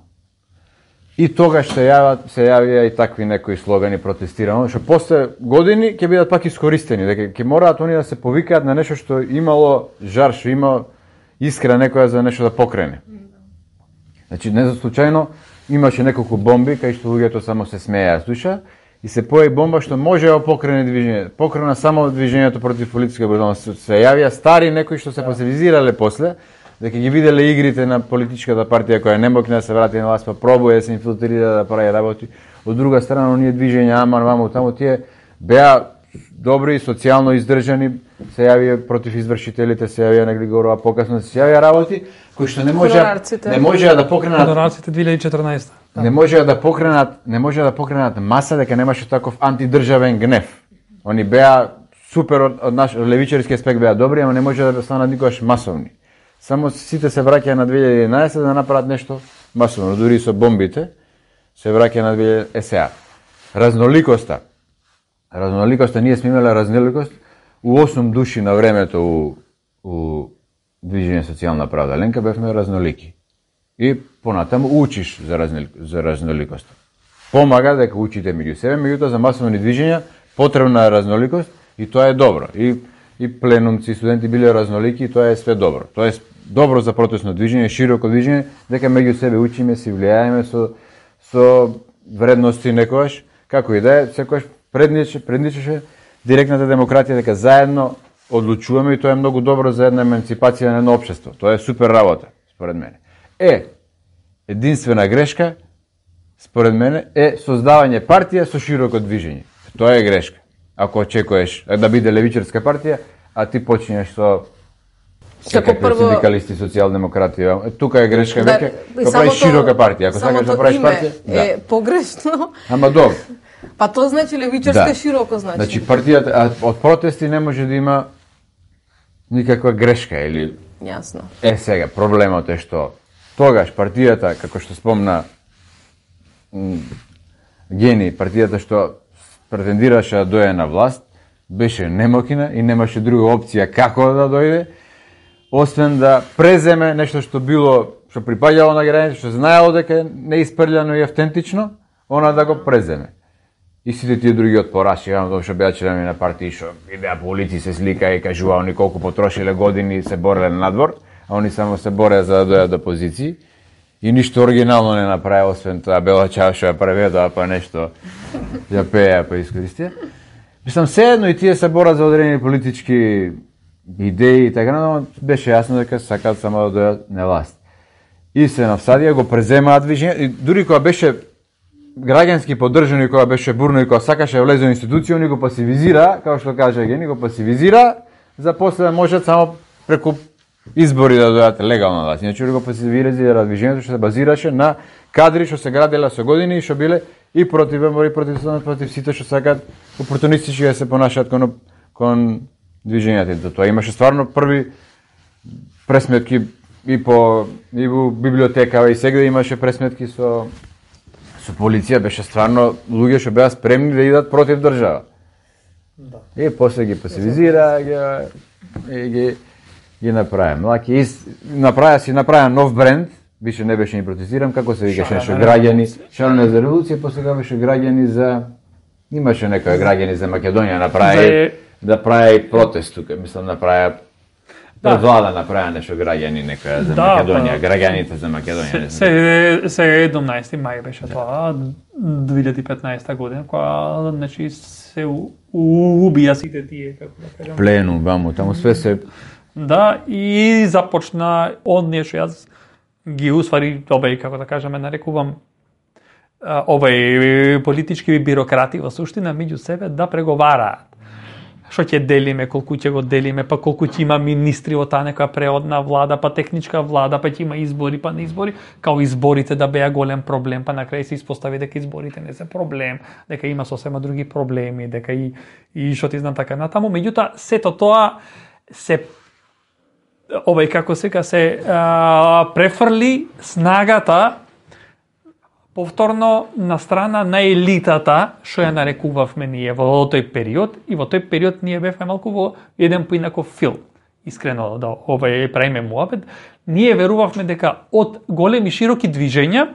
И тогаш се јавија и такви некои слогани протестирано, што после години ќе бидат пак искористени, дека ќе мораат они да се повикаат на нешто што имало жар, што има искра некоја за нешто да покрене. Значи, не за случајно имаше неколку бомби кај што луѓето само се смееа, слуша, и се појави бомба што може да покрене движење. Покрена само движењето против политичка бруталност. Се јавија стари некои што се пасивизирале после, дека ги виделе игрите на политичката партија која не можна да се врати на власт, па пробува да се инфилтрира да прави работи. Од друга страна, оние движења аман ваму таму тие беа добри, социјално издржани, се јавија против извршителите, се јавија негли горова покасно, се јавија работи кои што не можеа да покренат Хонорарците 2014. Да. Не можеа да покренат маса дека немаше таков антидржавен гнев. Они беа супер од наш левичарски аспект беа добри, ама не можеа да станат никогаш масовни. Само сите се враќаа на 2011 да направат нешто масовно, дури со бомбите се враќаа на 2000 СА. Разноликоста, ние сме имале разноликост у 8 души на времето у Движење социјална правда. Ленка бевме разнолики. И понатаму учиш за разноликост. Помага дека учите меѓу себе, меѓутоа за масовни движења потребна е разноликост и тоа е добро. И пленумци, студенти биле разнолики и тоа е све добро. Тоа е добро за протестно движење, широко движење, дека меѓу себе учиме, си влијаеме со вредности некојаш, како и да е, секојаш предничеше директната демократија, дека заедно одлучуваме и тоа е многу добро за една емансипација на едно општество. Тоа е супер работа, според мене. Единствена грешка, според мене, е создавање партија со широко движење. Тоа е грешка. Ако очекуваш да биде левичарска партија, а ти почнеш со секакви синдикалисти, социјалдемократи, тука е грешка веќе, да правиш широка партија. Ако сакаш да правиш партија, е погрешно. Ама добро. Па тоа значи левичарска широко значи. Значи партијата од протести не може да има никаква грешка или Јасно. Сега проблемот е што тогаш партијата, како што спомна Гени, партијата што претендираше да дојде на власт, беше немокина и немаше друга опција како да дојде, освен да преземе нешто што припаѓало на граѓаните, што знаело дека не испрљано и автентично, она да го преземе. И сите тие други отпораши, што беа члени на партии, што идеа по улици, се слика и кажува они колку потрошиле години се бореле на надвор, а они само се бореа за да дојдат до позиции. И ништо оригинално не направи, освен тоа бела чаша ја преведоа, па нешто ја пеја, па искористија. Мислам, седно и тие се борат за одредени политички идеи и така, но беше јасно дека сакаат само да дојдат на власт. И се навсадија, го преземаат движење, и дури кога беше граѓански поддржано и кога беше бурно и кога сакаше влезе во институција, они го пасивизира, како што кажа Гени, го пасивизира, за после да можат само преку избори да дојдат легално власт. Иначе го пасивизира движењето што се базираше на кадри што се градела со години и што биле и против ВМРО, против сите што сакаат опортунистички да се понашаат кон движењата. Тоа имаше стварно први пресметки и во библиотека и сега имаше пресметки со полиција, беше стварно луѓе што беа спремни да идат против држава. Да. И после ги пасивизира, ги направи. Млаки направи нов бренд, више не беше ни протестирам, како се викаше нешто граѓани, шанове за револуција, после сега беше граѓани за имаше некои граѓани за Македонија направи да прави протест тука, мислам направи пред влада направи нешто граѓани некоја за Македонија, граѓаните за Македонија. Се 17 мај беше тоа, 2015 година, кога значи се убија сите тие, како да кажам. Пленум, ваму, таму све се. Да, и започна оние што јас ги усвари, како да кажеме, нарекувам политички бирократи во суштина меѓу себе да преговараат. Што ќе делиме, колку ќе го делиме, па колку ќе има министри од таа некоја преодна влада, па техничка влада, па ќе има избори, па не избори, као изборите да беа голем проблем, па на крај се испостави дека изборите не се проблем, дека има сосема други проблеми, дека и што ти знам така натаму. Меѓутоа, сето тоа се како сега се префрли снагата повторно на страна на елитата, што ја нарекувавме ние во тој период, и во тој период ние бевме малку во еден поинаков филм. Искрено, да правиме муабет, ние верувавме дека од големи широки движења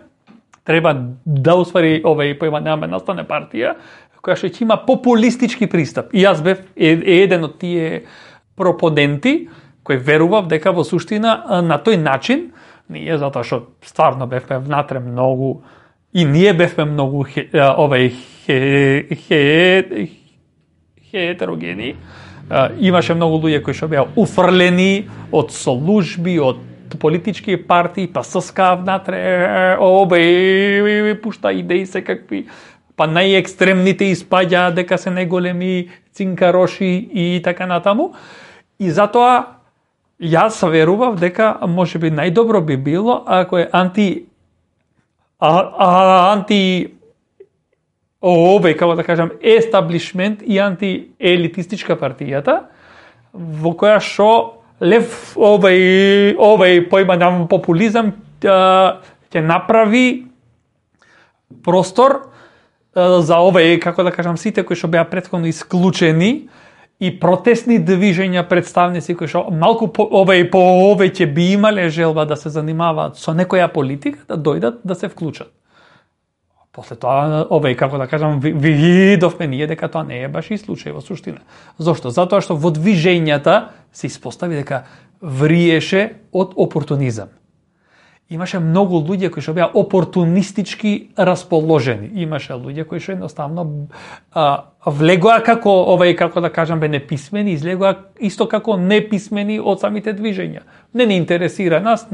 треба да усвари поимаме настане партија, која што ќе има популистички пристап. И јас бев еден од тие пропоненти, кој верував дека во суштина на тој начин, ние затоа што стварно бевме внатре многу и ние бевме многу хетерогени. Имаше многу луѓе кои што беа уфрлени од служби, од политички партии, па ССК внатре, пушта идеи секакви, па најекстремните испаѓа дека се најголеми цинкароши и така натаму. И затоа јас верував дека можеби најдобро би било ако е како да кажам, естаблишмент и антиелитистичка партијата, во која што лев поимам популизам ќе направи простор за како да кажам, сите кои што беа претходно исклучени и протестни движења, представници кои што малку повеќе би имале желба да се занимаваат со некоја политика, да дојдат да се вклучат. После тоа, како да кажам, видовме ние дека тоа не е баш и случај во суштина. Зошто? Затоа што во движењата се испостави дека вриеше од опортунизам. Имаше многу луѓе кои што беа опортунистички расположени. Имаше луѓе кои што едноставно влегоа како како да кажам бе неписмени, излегоа исто како неписмени од самите движења. Не интересира нас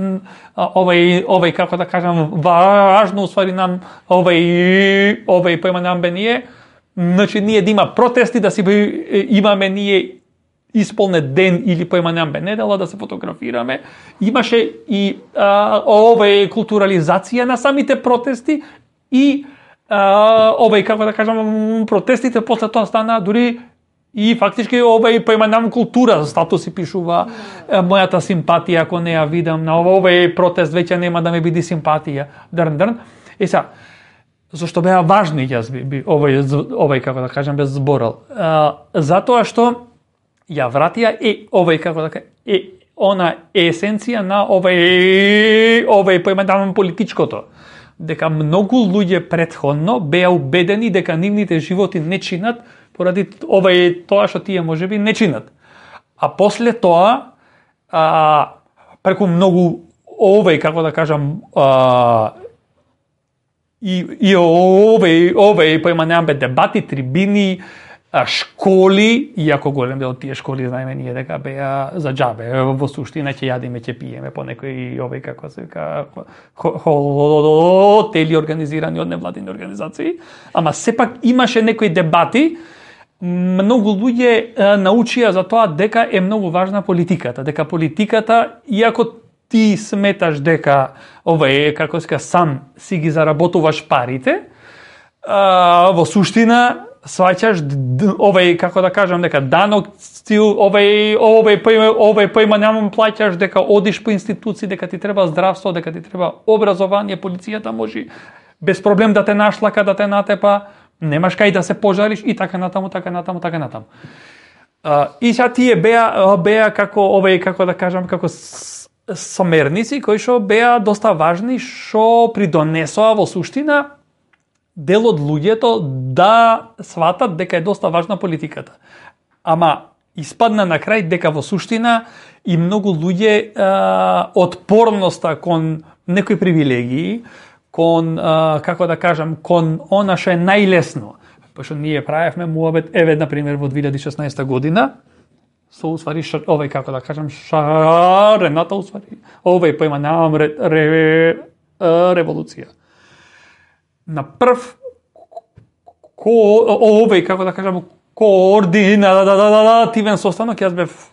како да кажам важно усвари нам поема нам бе ние, значи ние да има протести, да си имаме ние исполнет ден или поиманам бе недела да се фотографираме. Имаше и културализација на самите протести и како да кажам протестите после тоа стана дури и фактички поиманам култура, статуси пишува мојата симпатија ако не ја видам на протест веќе нема да ме биде симпатија. Дрн. Сега зашто беа важни јас како да кажам без зборал. Затоа што ја вратија како да кажам она есенција на поиманам политичкото. Дека многу луѓе претходно беа убедени дека нивните животи не чинат поради тоа што тие можеби не чинат. А после тоа преку многу како да кажам поиманам дебати, трибини, школи, иако голем дел од тие школи знаеме ние дека беа за џабе, во суштина ќе јадиме, ќе пиеме по некои како се вика хотели организирани од невладини организации, ама сепак имаше некои дебати, многу луѓе научија за тоа дека е многу важна политиката, дека политиката, иако ти сметаш дека како се сам си ги заработуваш парите, во суштина сваќаш како да кажам дека данок ти овај поима немам плаќаш, дека одиш по институции, дека ти треба здравство, дека ти треба образование, полицијата може без проблем да те нашлака, да те натепа, немаш кај да се пожариш и така натаму. И сега тие беа како да кажам, како сомерници кои што беа доста важни, што придонесоа во суштина дел од луѓето да сватат дека е доста важна политиката. Ама испадна на крај дека во суштина и многу луѓе отпорноста кон некои привилегии, кон како да кажам, кон она што е најлесно. Пошто ние правевме муабет, еве на пример во 2016 година, со усвари како да кажам, шарената усвари. Поима немам револуција. На прв како да кажам, координативен состанок, јас бев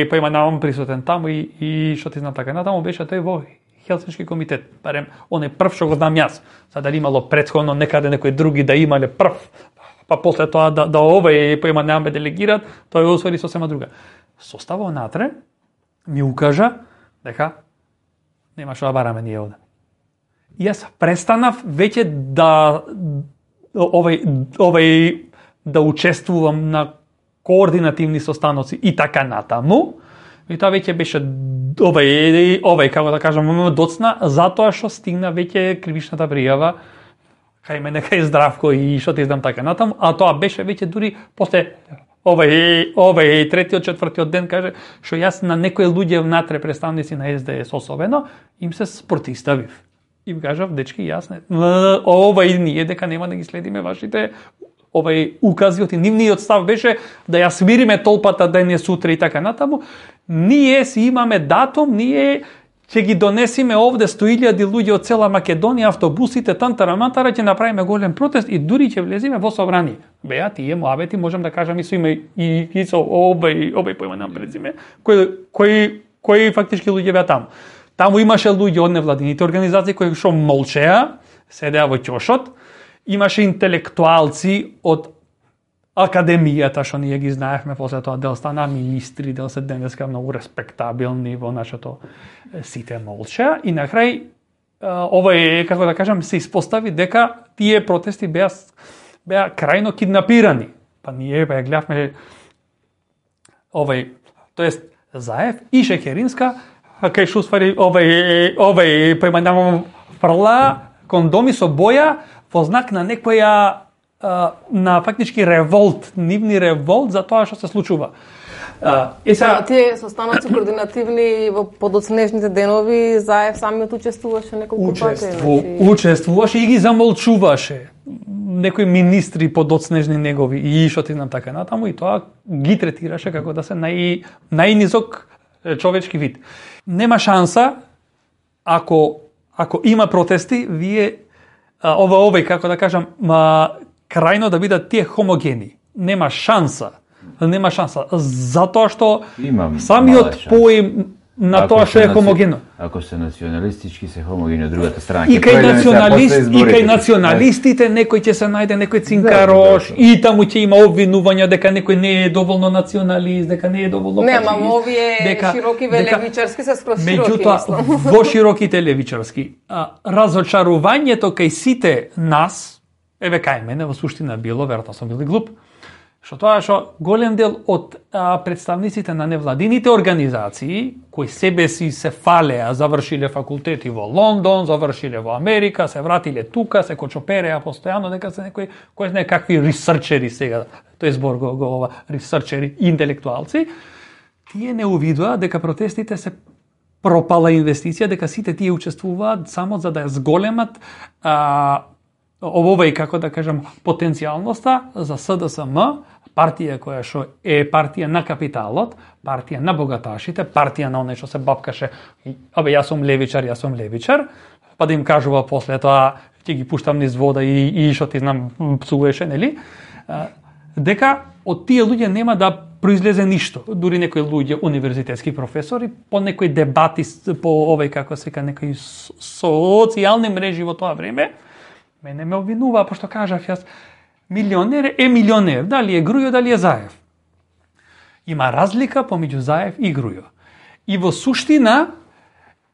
поима немам присутен таму и што ти знам така натаму, беше тој во Хелсиншки комитет, барем оној прв што го знам јас. Сега дали имало претходно некаде некои други да имале прв, па после тоа да поима немам бе делегират, тој усвари сосема друга. Составот натре ми укажа дека нема што да бараме ние овде. Јас престанав веќе да да учествувам на координативни состаноци и така натаму. И тоа веќе беше како да кажам, доцна, затоа што стигна веќе кривичната пријава кај мене, кај Здравко и што ти знам така натаму, а тоа беше веќе дури после третиот, четвртиот ден, каже, што јас на некои луѓе внатре, представници на СДС особено, им се спротиставив. Им кажав, дечки, јас не, ние дека нема да ги следиме вашите указиот и нивниот став беше да ја смириме толпата денес, утре и така натаму. Ние си имаме датум, ние ќе ги донесиме овде 100.000 луѓе од цела Македонија, автобусите, тантара-мантара, ќе направиме голем протест и дури ќе влезиме во собрание. Беа, тие муабети, можам да кажам и со име и со поима нам презиме, кои фактички луѓе беа таму. Таму имаше луѓе од невладините организации кои што молчеа, седеа во ќошот, имаше интелектуалци од академијата, што ние ги знаевме, после тоа дел стана министри, дел се денеска многу респектабилни во нашето сите молчеа и на крај како да кажам, се испостави дека тие протести беа крајно киднапирани. Па ние ја гледавме тоест Заев и Шекеринска, кај што усвари поима фрла кондоми со боја во знак на некоја на фактички револт, нивни револт за тоа што се случува. Тие состаноци координативни во подоцнежните денови, Заев самиот учествуваше неколку пати. Учествуваше и ги замолчуваше некои министри подоцнежни негови и што ти знам така натаму, и тоа ги третираше како да се најнизок човечки вид. Нема шанса ако има протести, вие како да кажам, крајно да бидат тие хомогени. Нема шанса. Затоа што самиот поим на тоа што е хомогено. Ако се националистички, се хомогени од другата страна. И кај националистите некој ќе се најде некој цинкарош и таму ќе има обвинувања дека некој не е доволно националист, дека не е доволно патриот. Не, ама овие широки левичарски се скроз широки. Меѓутоа, во широките левичарски, разочарувањето кај сите нас, еве кај мене во суштина било, веројатно сум бил глуп, што тоа што голем дел од представниците на невладините организации, кои себе си се фалеа, завршиле факултети во Лондон, завршиле во Америка, се вратиле тука, се кочопереа постојано, дека се некои, кои знае какви ресерчери сега, тој збор го ресерчери, интелектуалци, тие не увидоа дека протестите се пропала инвестиција, дека сите тие учествуваат само за да ја зголемат како да кажам, потенцијалноста за СДСМ, партија која што е партија на капиталот, партија на богаташите, партија на оној што се бапкаше, јас сум левичар, па да им кажува после тоа, ќе ги пуштам низ вода и што ти знам, псуваше, нели? Дека од тие луѓе нема да произлезе ништо. Дури некои луѓе, универзитетски професори, по некои дебати, по како се вика, некои социјални мрежи во тоа време, мене ме обвинува, пошто кажав јас, милионер е милионер, дали е Грујо, дали е Заев. Има разлика помеѓу Заев и Грујо. И во суштина,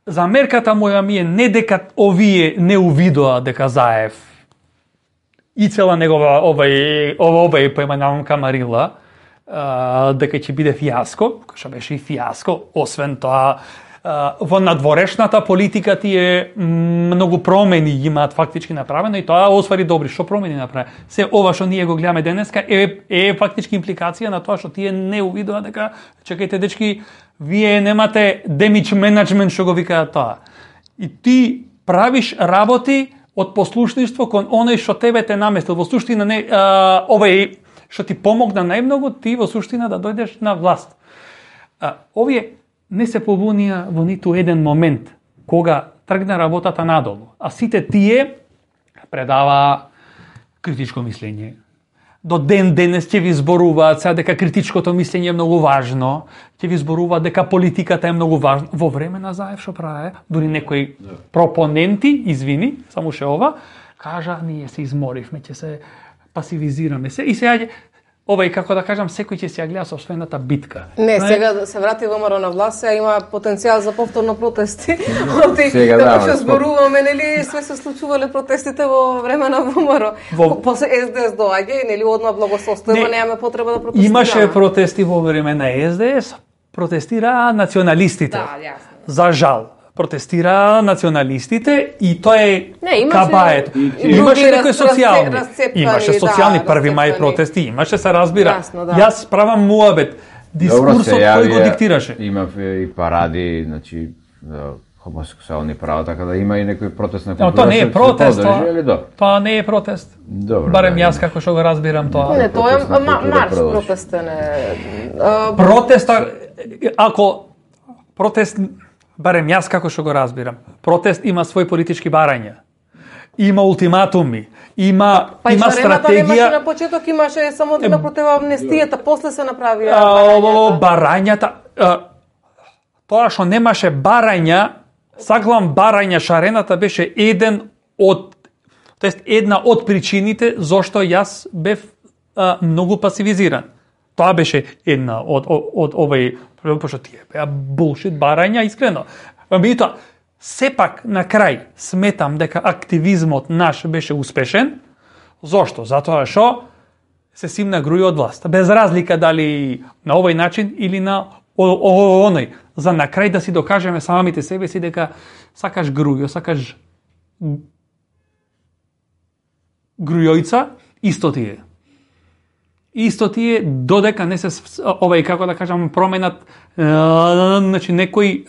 замерката моја ми е не дека овие не увидоа дека Заев и цела негова овај поименавам Камарила, дека ќе биде фијаско, што беше и фијаско. Освен тоа, во надворешната политика тие многу промени имаат фактички направено и тоа освари добри. Што промени направи? Се ова што ние го гледаме денеска е фактички импликација на тоа што тие не увидоа дека чекајте дечки, вие немате damage management што го викаат тоа. И ти правиш работи од послушништво кон оној што тебе те наместил. Во суштина не овај што ти помогна најмногу, ти во суштина да дојдеш на власт. Овие не се побунија во ниту еден момент кога тргна работата надолу. А сите тие предава критичко мислење. До ден денес ќе ви зборуваат сега дека критичкото мислење е многу важно, ќе ви зборуваат дека политиката е многу важна. Во време на Заев што прави, дури некои пропоненти, извини, само ше ова, кажа ние се изморивме, ќе се пасивизираме се и сега овај, како да кажам, секој ќе се ја гледа собствената битка. Не, сега да се врати ВМРО на власт, сега има потенцијал за повторно протести. Сега како што зборуваме, нели, све се случувале протестите во време на ВМРО. После СДС доаѓа и нели одма благосостојба, немаме потреба да протестираме. Имаше протести во време на СДС, протестираа националистите. Да, јасно. За жал. Протестира националистите и тоа е кабаето. Имаше некои социјални. Имаше социјални први мај протести, имаше се разбира. Јасно, да. Јас правам муабет. Дискурсот кој го диктираше. Има и паради, значи хомосексуални права, така да има и некој протест на култура. Тоа не е протест, тоа не е протест. Добро. Барем јас како што го разбирам тоа. Не, тоа е марш протестен е. Протеста, ако протест, барем јас како што го разбирам, протест има свои политички барања. Има ултиматуми, има стратегија. Немаше на почеток, имаше само да против амнестијата, после се направи барањата. Тоа што немаше барања, саглам барања, шарената беше една од причините зошто јас бев многу пасивизиран. Тоа беше една од овај, пошто тие беа булшит барања, искрено. Меѓутоа, сепак на крај сметам дека активизмот наш беше успешен. Зошто? Затоа што се симна Грујо од власт. Без разлика дали на овој начин или на оној. За на крај да си докажеме самите себе си дека сакаш Грујо, сакаш Грујојца, исто тие. Исто тие додека не се овај, како да кажам, променат значи некои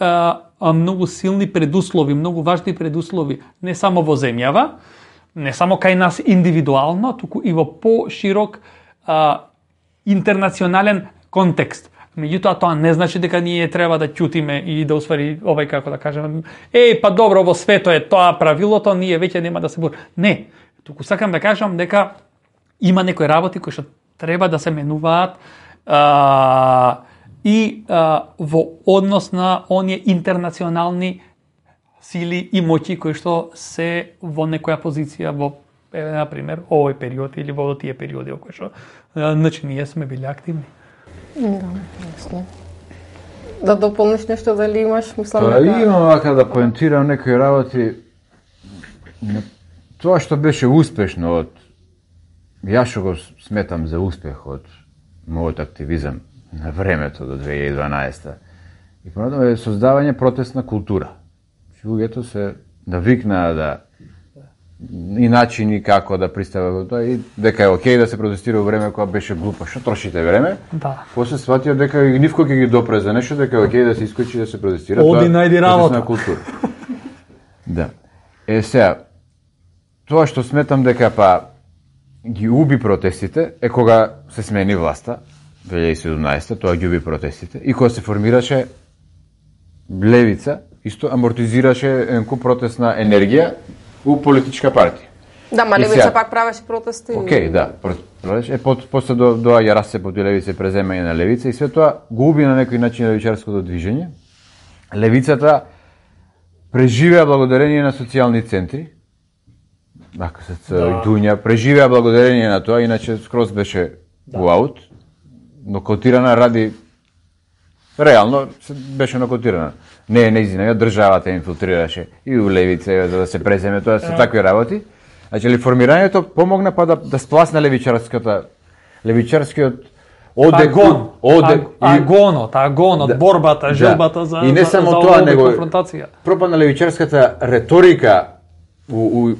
многу силни предуслови, многу важни предуслови, не само во земјава, не само кај нас индивидуално, туку и во поширок интернационален контекст. Меѓутоа тоа не значи дека ние треба да ќутиме и да усвари овај, како да кажем, па добро, во свето е тоа правилото, ние веќе нема да се бор. Не, туку сакам да кажам дека има некои работи кои што треба да се менуваат и во однос на оние интернационални сили и моќи кои што се во некоја позиција во, например, овој период или во тие периоди во кои што значи ние сме били активни. Да, јасно. Да дополниш нешто, дали имаш, мислам дека... Имам вака да поентирам некои работи. Тоа што беше успешно од јас што го сметам за успех од мојот активизам на времето до 2012 и понатаму е создавање протестна култура. Луѓето се навикнаа да и начини како да пристапат тоа и дека е окей да се протестира во време кога беше глупо. Што трошите време? Да. После сватија дека нивко ќе ги допре за нешто, дека е окей да се искочи да се протестира. Оди најди работа. Култура. Да. Сега, тоа што сметам дека ги уби протестите е кога се смени власта 2017, тоа ги уби протестите и кога се формираше левица, исто амортизираше енку протестна енергија у политичка партија. Да, ма левица пак правеше протести. Окей, да. После доаѓа расцепот и левица, преземање на левица и све тоа го уби на некој начин левичарското движење. Левицата преживеа благодарение на социјални центри. Дуња преживеа благодарение на тоа, иначе скроз беше во аут, но котирана ради реално беше нокотирана. Не неизина, државата инфилтрираше и у левица за да се преземе, тоа се такви работи. Значи, формирањето помогна па да спласне левичарскиот агонот, борбата, желбата за и не само тоа, него конфронтација. пропадна левичарската реторика у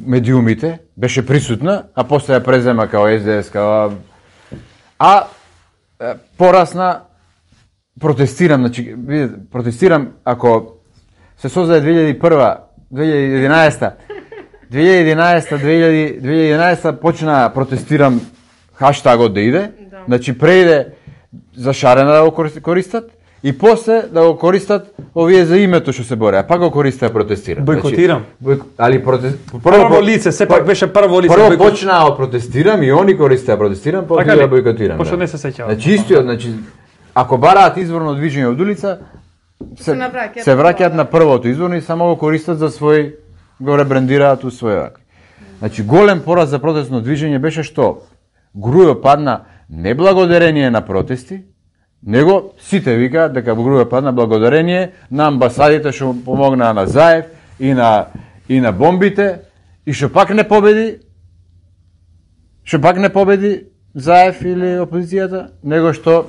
медиумите, беше присутна, а после ја презема као СДС, порасна протестирам, значи, протестирам ако се создаде 2011 почна протестирам хаштагот да иде, значи преиде за шарена да го користат и после да го користат овие за името што се бореа, пак го користат да протестират. Бойкотирам. Прво лице, сепак беше прво лице. Прво почнаа да протестирам и они користат да протестирам, после да бойкотирам. Пошто не се сеќавам. Значи истиот, значи ако бараат изворно движење од улица, се враќаат на првото изворно и само го користат за свој, го ребрендираат у свој. Значи голем пораз за протестно движење беше што Грујо падна не благодарение на протести, него сите викаат дека Грујо падна благодарение на амбасадите што помогнаа на Заев и на бомбите и што пак не победи Заев или опозицијата, него што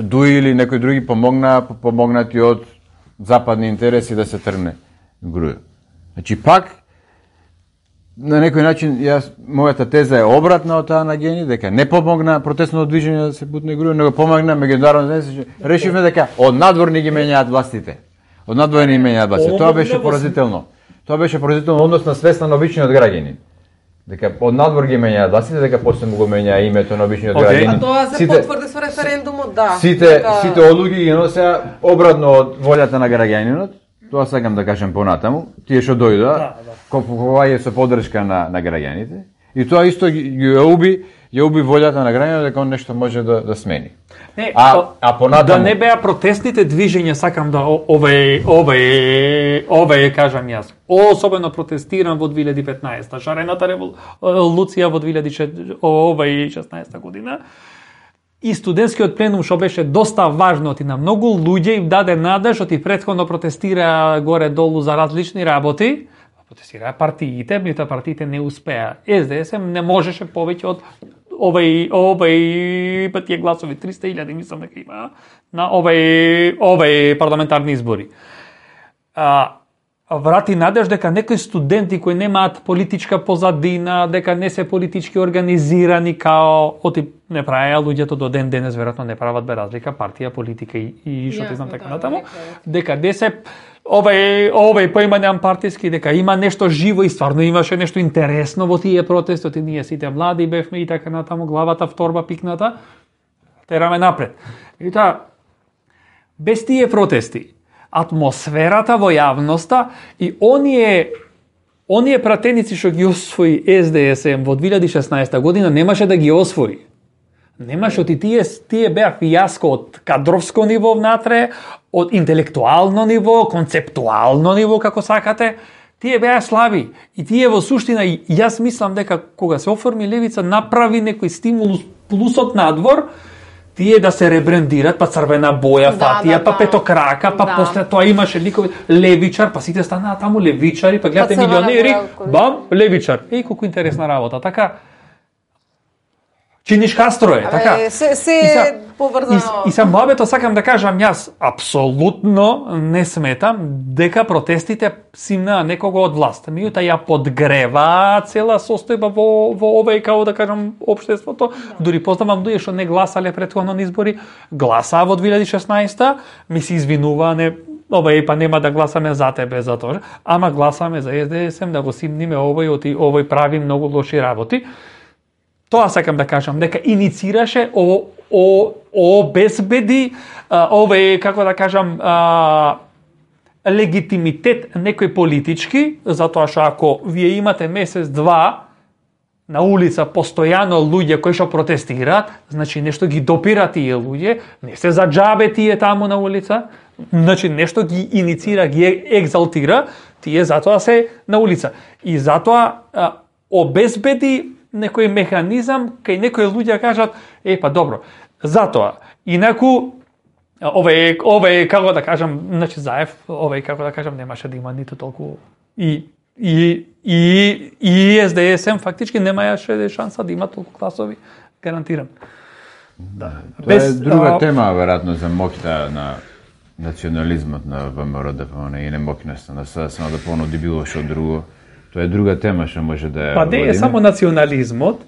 Дуи или некои други помогнати од западни интереси да се тргне Грујо. Значи пак на некој начин мојата теза е обратна од таа на Гени, дека не помогна протестното движење да се бутне Грујо, него помогна меѓународно. Решивме дека од надворни ги менјаат властите. Тоа беше поразително. Тоа беше поразително однос на свест на обичниот граѓанин. Дека од надвор ги менјаат властите, дека после му го менја името на обичниот граѓанин. А тоа се потврди со референдумот, да. Сите одлуки ги носеа обратно од волјата на граѓанинот. Тоа сакам да кажем понатаму. Тие што дојдоа, купување со поддршка на граѓаните. И тоа исто ја уби волјата на граѓанинот дека он нешто може да смени. Понатаму да не беа протестните движења, сакам да кажам јас. Особено протестирам во 2015-та, шарената револуција во 2016 година. И студентскиот пленум што беше доста важно и на многу луѓе им даде надеж, што ти претходно протестира горе-долу за различни работи. Протестираа партиите, меѓутоа партиите не успеа. СДС не можеше повеќе од овај тие гласови 300.000 мислам дека има на овај парламентарни избори. Врати надеж дека некои студенти кои немаат политичка позадина, дека не се политички организирани као не правеа луѓето до ден денес, веројатно не прават бе разлика партија, политика и што ти знам така натаму, дека се овај поимањам партиски, дека има нешто живо и стварно имаше нешто интересно во тие протести, и ние сите млади бевме и така натаму, главата в торба пикната, тераме напред. И таа, без тие протести, атмосферата во јавноста и оние пратеници што ги освои СДСМ во 2016 година немаше да ги освои. Немаше, тие беа фијаско од кадровско ниво внатре, од интелектуално ниво, концептуално ниво, како сакате. Тие беа слаби. И тие во суштина, јас мислам дека кога се оформи левица, направи некој стимулус плюсот надвор, тие да се ребрендират, па црвена боја, фатија, па петокрака, па после тоа имаше никој левичар, па сите станаа таму левичари, па гледате милионери, бам, левичар. Еј, колку интересна работа, така. Чиниш Кастро е, така. Се поврзано. И са мобето сакам да кажам јас, апсолутно не сметам дека протестите симнаа некого од власт. Меѓутоа ја подгрева цела состојба во овој, као да кажам, општеството. Дури познавам луѓе што не гласале претходно на избори, гласаа во 2016-та, ми се извинуваа, па нема да гласаме за тебе за тоа, ама гласаме за СДСМ да го симниме овој прави многу лоши работи. Тоа сакам да кажам, дека иницираше, обезбеди, како да кажам, легитимитет некој политички, затоа што ако вие имате месец-два на улица постојано луѓе кои што протестираат, значи нешто ги допира тие луѓе, не се за џабе тие таму на улица, значи нешто ги иницира, ги екзалтира, тие затоа се на улица. И затоа обезбеди некој механизам кај некои луѓе кажат, па добро, затоа, инаку Овој како да кажам, значи Заев, како да кажам немаше да има ниту толку и СДСМ фактички немаше шанса да има толку гласови, гарантирам. Да. Тоа е друга тема веројатно за моќта на национализмот на ВМРО ДПМН и не моќноста на само да понуди било што друго. Тоа е друга тема што може да ја Па не е само национализмот,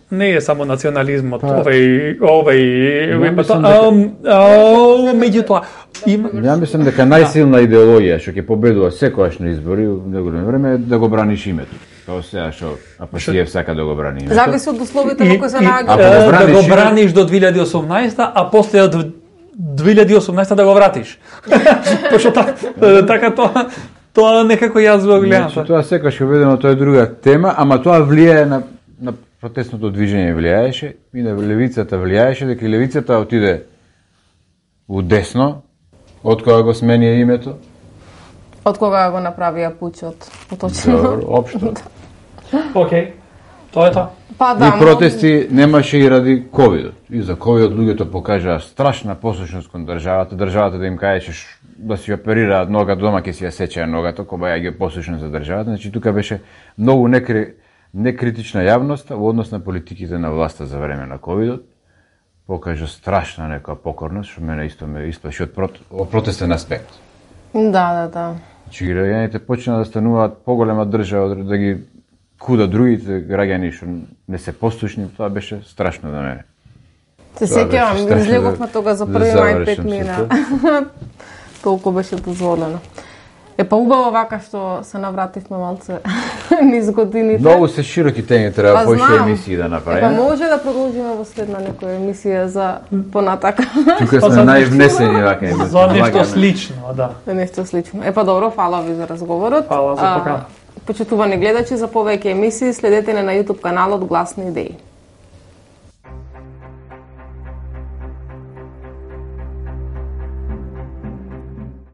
меѓутоа има. Ја мислам дека најсилна идеологија што ќе победува секогаш на избори во неголемо време е да го браниш името. Тоа сега што Апасиев сака да го брани името. Зависи од условите во кои се наоѓа. Да го браниш до 2018, а после од 2018 да го вратиш. Пошто така тоа некако јас го гледам. Значи, тоа секогаш е ведено, тоа е друга тема, ама тоа влијае на протестното движење влијаеше и на левицата влијаеше, дека левицата отиде у десно од кога го смени името. Од кога го направија пучот, поточно. Добро, општо. Океј. Тоа е тоа. Па да. И протести немаше и ради ковидот. И за ковидот луѓето покажаа страшна послушност кон државата. Државата да им кажеше да си оперираат нога дома, ќе си ја сечеа ногата, кога ја ги послушност за државата. Значи тука беше многу некритична јавност во однос на политиките на власта за време на ковидот. Покажа страшна некоја покорност, што мене исто ме исплаши од протестен аспект. Да. Значи граѓаните почнаа да стануваат поголема држава, да ги куда другите граѓани што не се послушни, тоа беше страшно за мене. Се сеќавам, излеговме тога за први мај 5 мина. Толку беше дозволено. Па убаво вака што се навративме малце низ годините. Многу се широки теми, треба поише емисии да направиме. Па може да продолжиме во следна некоја емисија за понатака. Тука сме највнесени вака емисија. За нешто слично, да. Нешто слично. Па добро, фала ви за разговорот. Фала за покана. Почитувани гледачи, за повеќе емисии следете на YouTube каналот Гласни идеи.